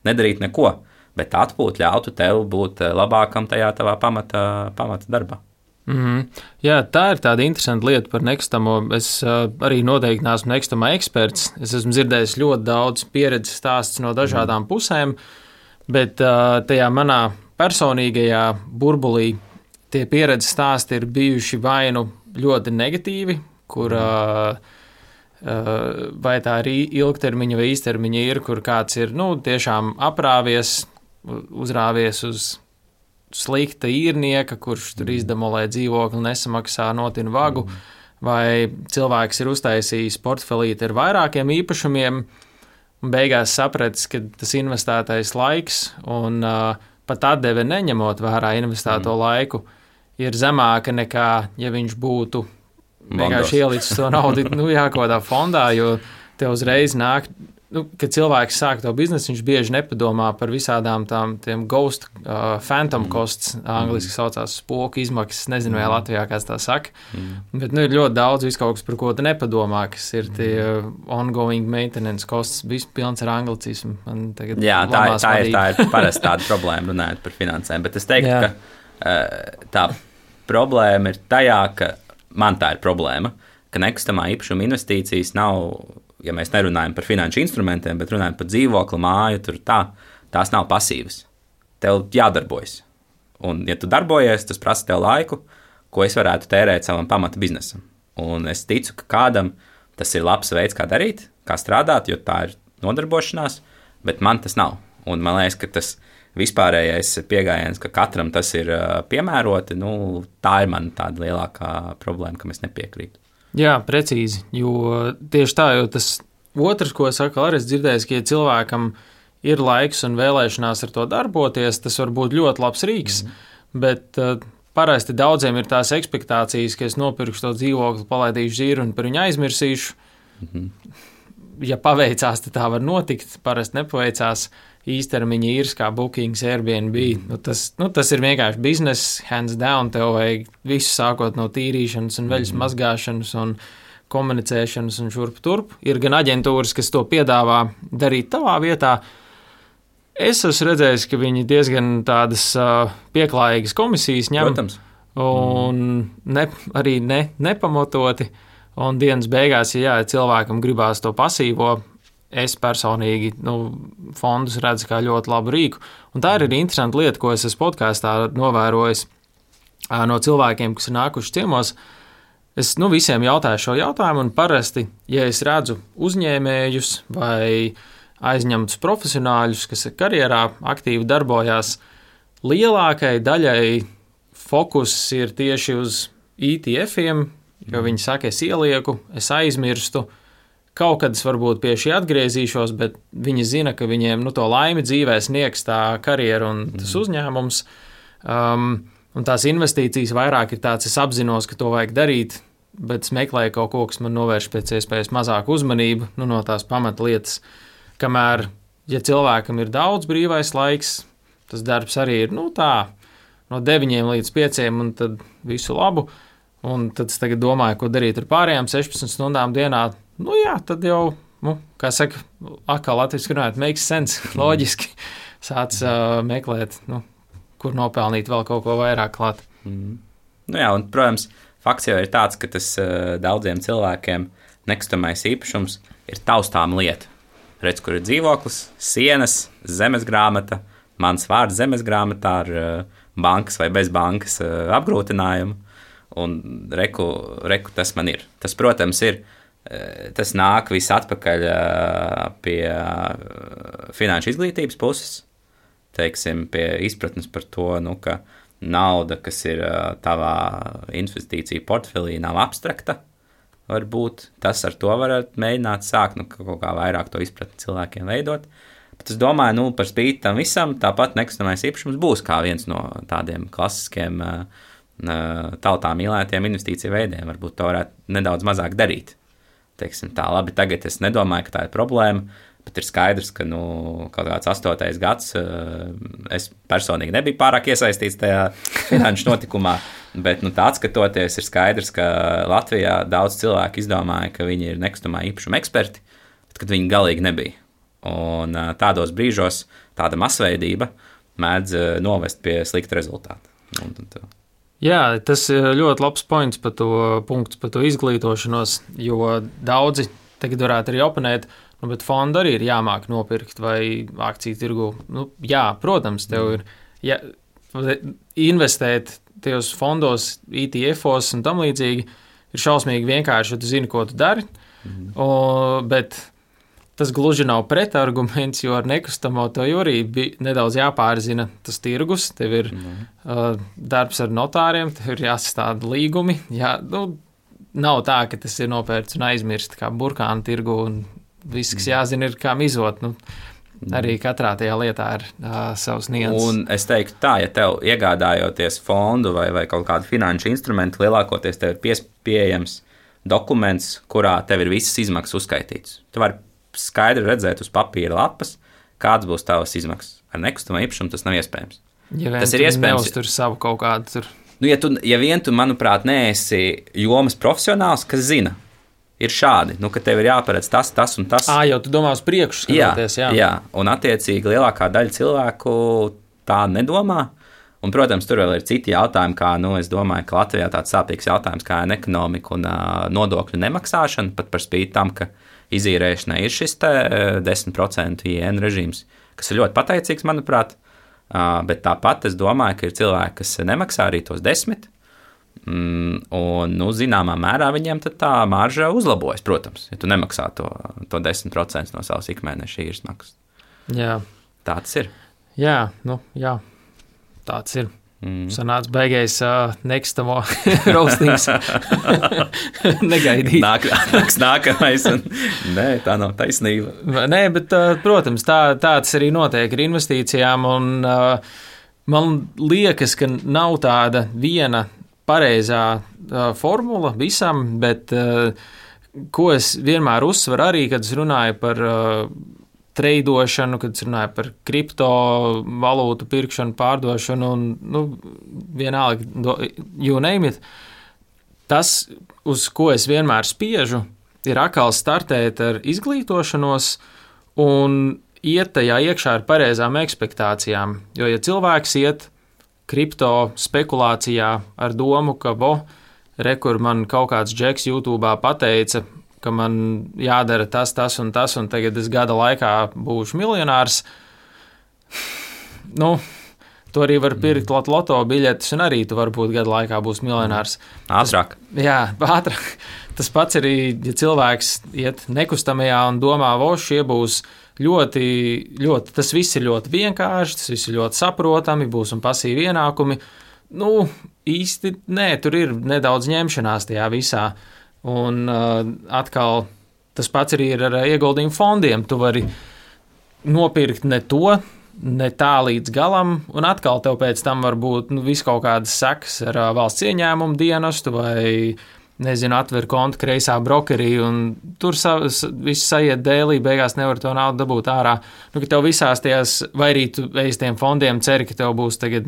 nedarīt neko, bet atpūt ļautu tev būt labākam tajā tavā pamata darbā. Jā, tā ir tāda interesanta lieta par nekustamo. Es arī noteikti neesmu nekustamā eksperts. Es esmu dzirdējis ļoti daudz pieredzes stāstus no dažādām pusēm, bet tajā manā personīgajā burbulī tie pieredzes stāsti ir bijuši vai nu ļoti negatīvi, kur vai tā ir ilgtermiņa vai īstermiņa ir, kur kāds ir tiešām aprāvies, uzrāvies uz slikta īrnieka, kurš tur izdemolē dzīvokli, nesamaksā, notina vagu, vai cilvēks ir uztaisījis portfelīti ar vairākiem īpašumiem, un beigās sapratis, ka tas investētais laiks un pat atdeve neņemot vērā investēto laiku ir zemāka nekā, ja viņš būtu vienkārši ielicis to naudu kaut kādā fondā, jo te uzreiz nāk kad cilvēks sāk to biznesu, viņš bieži nepadomā par visādām tiem ghost, phantom costs, angliski saucās spoku izmaksas, nezinu, vai Latvijā kāds tā saka, bet ir ļoti daudz viskaut kas, par ko tu nepadomā, kas ir tie ongoing maintenance costs, viss pilns ar anglicismu. Jā, tā ir parasti tāda problēma runājot par finansēm, bet es teiktu, ka tā problēma ir tajā, ka man tā ir problēma, ka nekustamā īpašuma investīcijas nav, ja mēs nerunājam par finanšu instrumentiem, bet runājam par dzīvokli, māju, tās nav pasīvas. Tev jādarbojas. Un, ja tu darbojies, tas prasa tev laiku, ko es varētu tērēt savam pamata biznesam. Un es ticu, ka kādam tas ir labs veids, kā darīt, kā strādāt, jo tā ir nodarbošanās, bet man tas nav. Un man liekas, ka tas vispārējais pieejams, ka katram tas ir piemēroti, tā ir man tāda lielākā problēma, ka mēs nepiekrītu. Jā, precīzi, jo tieši tā, jo tas otrs, ko saka, arī es dzirdēju, ka ja cilvēkam ir laiks un vēlēšanās ar to darboties, tas var būt ļoti labs rīks, bet parasti daudziem ir tās ekspektācijas, ka es nopirkšu to dzīvokli, palaidīšu dzīru un par viņu aizmirsīšu. Ja paveicās, tad tā var notikt, parasti nepaveicās. Īstermiņa īrs kā Bookings, Airbnb, tas ir vienkārši bizness, hands down, tev vajag visu sākot no tīrīšanas un veļas mazgāšanas un komunicēšanas un šurp turp. Ir gan aģentūras, kas to piedāvā darīt tavā vietā. Es esmu redzējis, ka viņi diezgan tādas pieklājīgas komisijas ņem. Protams. Un arī nepamatoti. Un dienas beigās, ja cilvēkam gribās to pasīvo, es personīgi fondus redzu kā ļoti labu rīku. Un tā ir arī interesanta lieta, ko es esmu podkāstā novērojis no cilvēkiem, kas ir nākuši ciemos. Es visiem jautāju šo jautājumu, un parasti, ja es redzu uzņēmējus vai aizņemtus profesionāļus, kas karjerā aktīvi darbojās, lielākai daļai fokus ir tieši uz ETF-iem, jo viņi saka, es ielieku, es aizmirstu, kaut kad es varbūt pie šī atgriezīšos, bet viņi zina, ka viņiem to laimi dzīvē sniegs tā karjera un tas uzņēmums. Un tās investīcijas vairāk ir tāds, es apzinos, ka to vajag darīt, bet es meklēju kaut ko, kas man novērš pēc iespējas mazāku uzmanību no tās pamatlietas. Kamēr, ja cilvēkam ir daudz brīvais laiks, tas darbs arī ir no 9 līdz 5 un tad visu labu. Un tad es tagad domāju, ko darīt ar pārējām 16 stundām dienā. Tad jau, kā saka, atkal latviski runājot, makes sense, loģiski sāc meklēt, kur nopelnīt vēl kaut ko vairāk klāt. Un, protams, fakts jau ir tāds, ka tas daudziem cilvēkiem nekustamais īpašums ir taustām lieta. Redz, kur ir dzīvoklis, sienas, zemesgrāmata, mans vārds zemesgrāmatā ar bankas vai bez bankas apgrūtinājumu. Un reku tas man ir. Tas, protams, tas nāk viss atpakaļ pie finanšu izglītības puses, teiksim, pie izpratnes par to, ka nauda, kas ir tavā investīcija portfelī, nav abstrakta. Varbūt tas ar to varat mēģināt sākt, kaut kā vairāk to izpratni cilvēkiem veidot. Bet es domāju, par spīti tam visam, tāpat nekustamais īpašums būs kā viens no tādiem klasiskiem tautā mīlētiem investīciju veidiem. Varbūt to varētu nedaudz mazāk darīt. Teiksim tā, labi, tagad es nedomāju, ka tā ir problēma, bet ir skaidrs, ka kaut kāds 8. gads es personīgi nebiju pārāk iesaistīts tajā finanšu notikumā, bet tā atskatoties ir skaidrs, ka Latvijā daudz cilvēku izdomāja, ka viņi ir nekustamā īpašuma eksperti, bet kad viņi galīgi nebija. Un tādos brīžos tāda masveidība mēdz novest pie slikta rezultāta. Jā, tas ir ļoti labs punkts par to izglītošanos, jo daudzi tagad varētu arī oponēt, bet fondu arī ir jāmāk nopirkt vai akciju tirgu. Jā, protams, tev ir investēt tajos fondos, ETF-os un tam līdzīgi ir šausmīgi vienkārši, ja tu zini, ko tu dari, bet tas gluži nav pretarguments, jo ar nekustamo to arī bija nedaudz jāpārzina tas tirgus. Tev ir darbs ar notāriem, tev ir jāsastāda līgumi. Nav tā, ka tas ir nopērts un aizmirst kā burkānu tirgu un viss, kas jāzina, ir kā mizot. Arī katrā tajā lietā ir savs nianses. Un es teiktu tā, ja tev iegādājoties fondu vai kaut kādu finanšu instrumentu, lielākoties tev ir pieejams dokuments, kurā tev ir visas izmaksas uzskaitītas. Tu vari skaidri redzēt uz papīra lapas, kāds būs tavas izmaksas. Ar nekustamo īpašumu tas nav iespējams. Tas ir iespējams. Neuztur savu kaut kādu tur. Ja vien tu, manuprāt, neesi jomas profesionāls, kas zina, ir šādi, ka tev ir jāparedz tas un tas. Jau tu domā uz priekšu skatoties, jā. Un attiecīgi lielākā daļa cilvēku tā nedomā. Un, protams, tur vēl ir citi jautājumi, kā, es domāju, ka Latvijā tāds sāpīgs jautājums kā ekonomika un nodokļu nemaksāšana, pat par spīti tam, ka izīrēšanai ir šis 10% IN režīms, kas ir ļoti pateicīgs, manuprāt, bet tāpat es domāju, ka ir cilvēki, kas nemaksā arī tos 10%, un, zināmā mērā viņiem tad tā marža uzlabojas, protams, ja tu nemaksā to 10% no savas ikmēneša īres maksas. Jā. Tāds ir. Jā. Tāds ir. Sanāca beigais nekustamo roastings. Negaidīt. Nākamais. Nē, tā nav taisnība. Nē, bet, protams, tāds arī notiek ar investīcijām. Un, man liekas, ka nav tāda viena pareizā formula visam, bet ko es vienmēr uzsveru arī, kad es runāju par treidošanu, kad es runāju par kriptovalūtu pirkšanu, pārdošanu un, vienalga, you name it. Tas, uz ko es vienmēr spiežu, ir atkal startēt ar izglītošanos un iet tajā iekšā ar pareizām ekspektācijām. Jo, ja cilvēks iet kripto spekulācijā ar domu, ka, kur man kaut kāds džeks YouTube'ā pateica, ka man jādara tas un tas, un tagad es gada laikā būšu miljonārs. Tu arī var pirkt loto biļetes, un arī tu varbūt gada laikā būs miljonārs. Ātrāk. Ātrāk. Tas pats arī, ja cilvēks iet nekustamajā un domā, šie būs ļoti, tas viss ir ļoti vienkārši, tas viss ir ļoti saprotami, būs un pasīvi ienākumi. Īsti nē, tur ir nedaudz ņemšanās tajā visā. Un atkal tas pats arī ir ar ieguldījumu fondiem. Tu vari nopirkt ne tā līdz galam, un atkal tev pēc tam var būt viss kaut kādas sekas ar valsts ieņēmumu dienestu vai, atver kontu kreisā brokerī, un tur viss saiet dēlī, beigās nevar to naudu dabūt ārā. Ka tev visās tajās, vai arī tu ej tiem fondiem, ceri, ka tev būs tagad,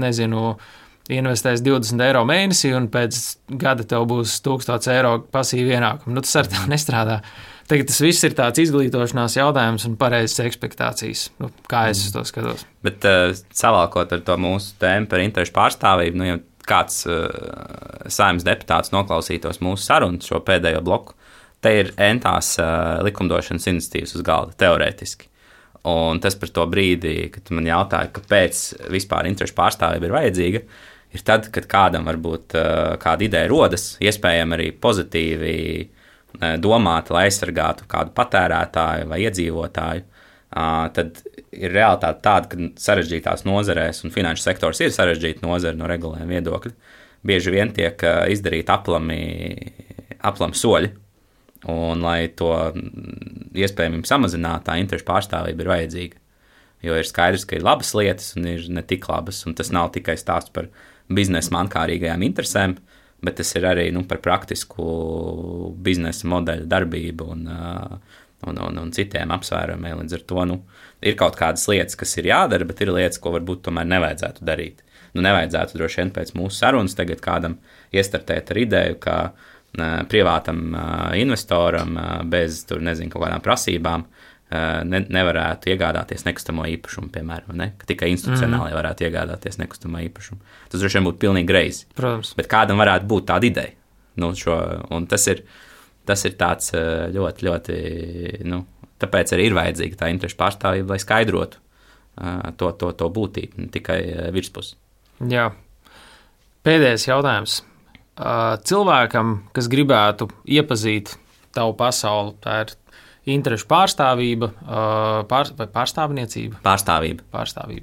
investēs 20 eiro mēnesī, un pēc gada tev būs 1000 eiro pasīvi ienākumi. Tas ar tā nestrādā. Tagad tas viss ir tāds izglītošanās jautājums un pareizas ekspektācijas. Kā es uz to skatos? Bet savalkot ar to mūsu tēmu par interešu pārstāvību, ja kāds Saeimas deputāts noklausītos mūsu sarunu šo pēdējo bloku, te ir entās likumdošanas iniciatīvas uz galda, teorētiski. Un tas par to brīdi, kad man jautāja, kāpēc vispār interešu pārstāvība ir vajadzīga, ir tad, kad kādam varbūt kāda ideja rodas, iespējami arī pozitīvi domāta, lai aizsargātu kādu patērētāju vai iedzīvotāju, tad ir realitāte tāda, ka sarežģītās nozarēs, un finanšu sektors ir sarežģīta nozara no regulējuma viedokļa, bieži vien tiek izdarīti aplami soļi, un lai to iespējami samazinātu, tā interešu pārstāvība ir vajadzīga. Jo ir skaidrs, ka ir labas lietas un ir ne tik labas, un tas nav tikai stāsts par biznesa mankārīgajām interesēm, bet tas ir arī par praktisku biznesa modeļu darbību un citiem apsvērumiem. Līdz ar to ir kaut kādas lietas, kas ir jādara, bet ir lietas, ko varbūt tomēr nevajadzētu darīt. Nevajadzētu droši vien pēc mūsu sarunas tagad kādam iestartēt ar ideju, ka privātam investoram bez tur, kaut kādām prasībām nevarētu iegādāties nekustamo īpašumu, piemēram, ka tikai institucionāli varētu iegādāties nekustamo īpašumu. Tas droši vien būtu pilnīgi greizi. Protams. Bet kādam varētu būt tāda ideja. Un tas ir tāds ļoti, ļoti, tāpēc arī ir vajadzīga tā interešu pārstāvība, lai skaidrotu to būtību, ne tikai virspusi. Jā. Pēdējais jautājums. Cilvēkam, kas gribētu iepazīt tavu pasauli, tā ir interešu pārstāvība vai pārstāvniecība? Pārstāvība.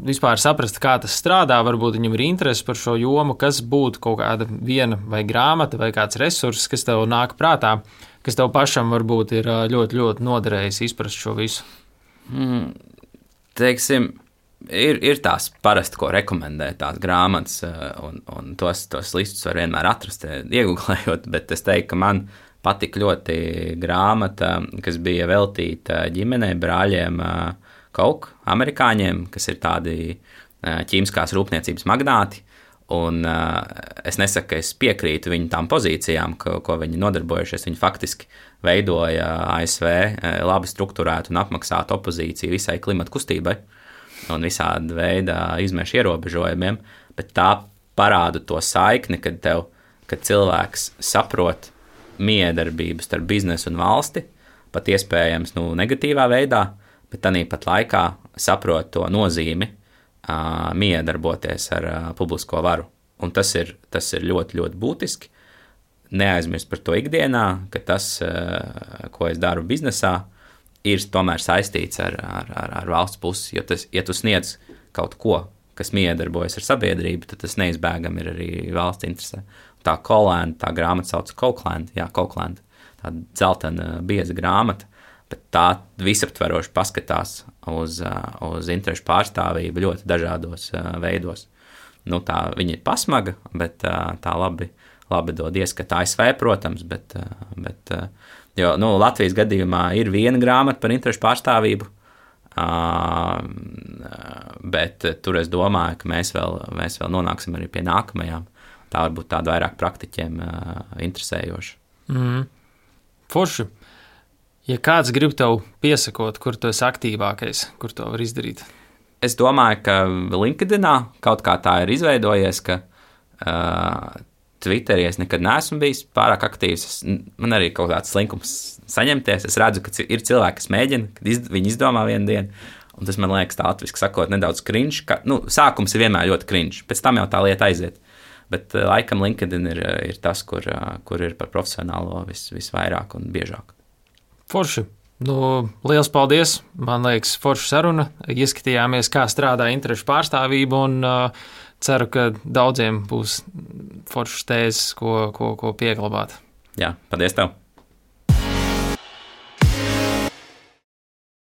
Vispār saprast, kā tas strādā, varbūt viņam ir interese par šo jomu, kas būtu kaut kāda viena vai grāmata vai kāds resurss, kas tev nāk prātā, kas tev pašam varbūt ir ļoti, ļoti noderējis izprast šo visu. Teiksim, ir tās parasti, ko rekomendē tās grāmatas, un tos listus var vienmēr atrast, iegooglējot, bet es teiktu, ka man patika ļoti grāmata, kas bija veltīta ģimenei, brāļiem Koch, amerikāņiem, kas ir tādi ķīmiskās rūpniecības magnāti. Un es nesaku, ka es piekrītu viņu tām pozīcijām, ko viņi nodarbojušies. Viņi faktiski veidoja ASV labi strukturētu un apmaksātu opozīciju visai klimata kustībai un visāda veida izmešu ierobežojumiem, bet tā parāda to saikni, kad cilvēks saprot miedarbību starp biznesu un valsti, pat iespējams negatīvā veidā, bet tāpat laikā saprot to nozīmi miedarboties ar publisko varu. Un tas ir ļoti, ļoti būtiski. Neaizmirst par to ikdienā, ka tas, ko es daru biznesā, ir tomēr saistīts ar valsts pusi. Jo ja tu sniedz kaut ko, kas miedarbojas ar sabiedrību, tad tas neizbēgami ir arī valsts interesē. Tā Colland, tā grāmata sauc Cochland, tā dzeltena bieza grāmata, bet tā visaptveroši paskatās uz interešu pārstāvību ļoti dažādos veidos. Tā viņa ir pasmaga, bet tā labi dod ieskatu ASV, protams, bet jo, Latvijas gadījumā ir viena grāmata par interešu pārstāvību, bet tur es domāju, ka mēs vēl nonāksim arī pie nākamajām. Tā varbūt tāda vairāk praktiķiem interesējoša. Forši. Ja kāds grib tev piesakot, kur tu esi aktīvākais, kur to var izdarīt? Es domāju, ka LinkedInā kaut kā tā ir izveidojies, ka Twitterī es nekad neesmu bijis pārāk aktīvs. Man arī kaut kāds slinkums saņemties. Es redzu, ka ir cilvēki, kas mēģina, kad viņi izdomā vienu dienu, un tas man liekas tā latviski sakot nedaudz cringe. Sākums ir vienmēr ļoti cringe, pēc tam jau tā lieta aiziet. Bet laikam LinkedIn ir tas, kur ir par profesionālo visvairāk un biežāk. Forši. Liels paldies. Man liekas, forša saruna. Ieskatījāmies, kā strādā interešu pārstāvība, un ceru, ka daudziem būs foršas tēzes, ko pieglabāt. Jā, paldies tev.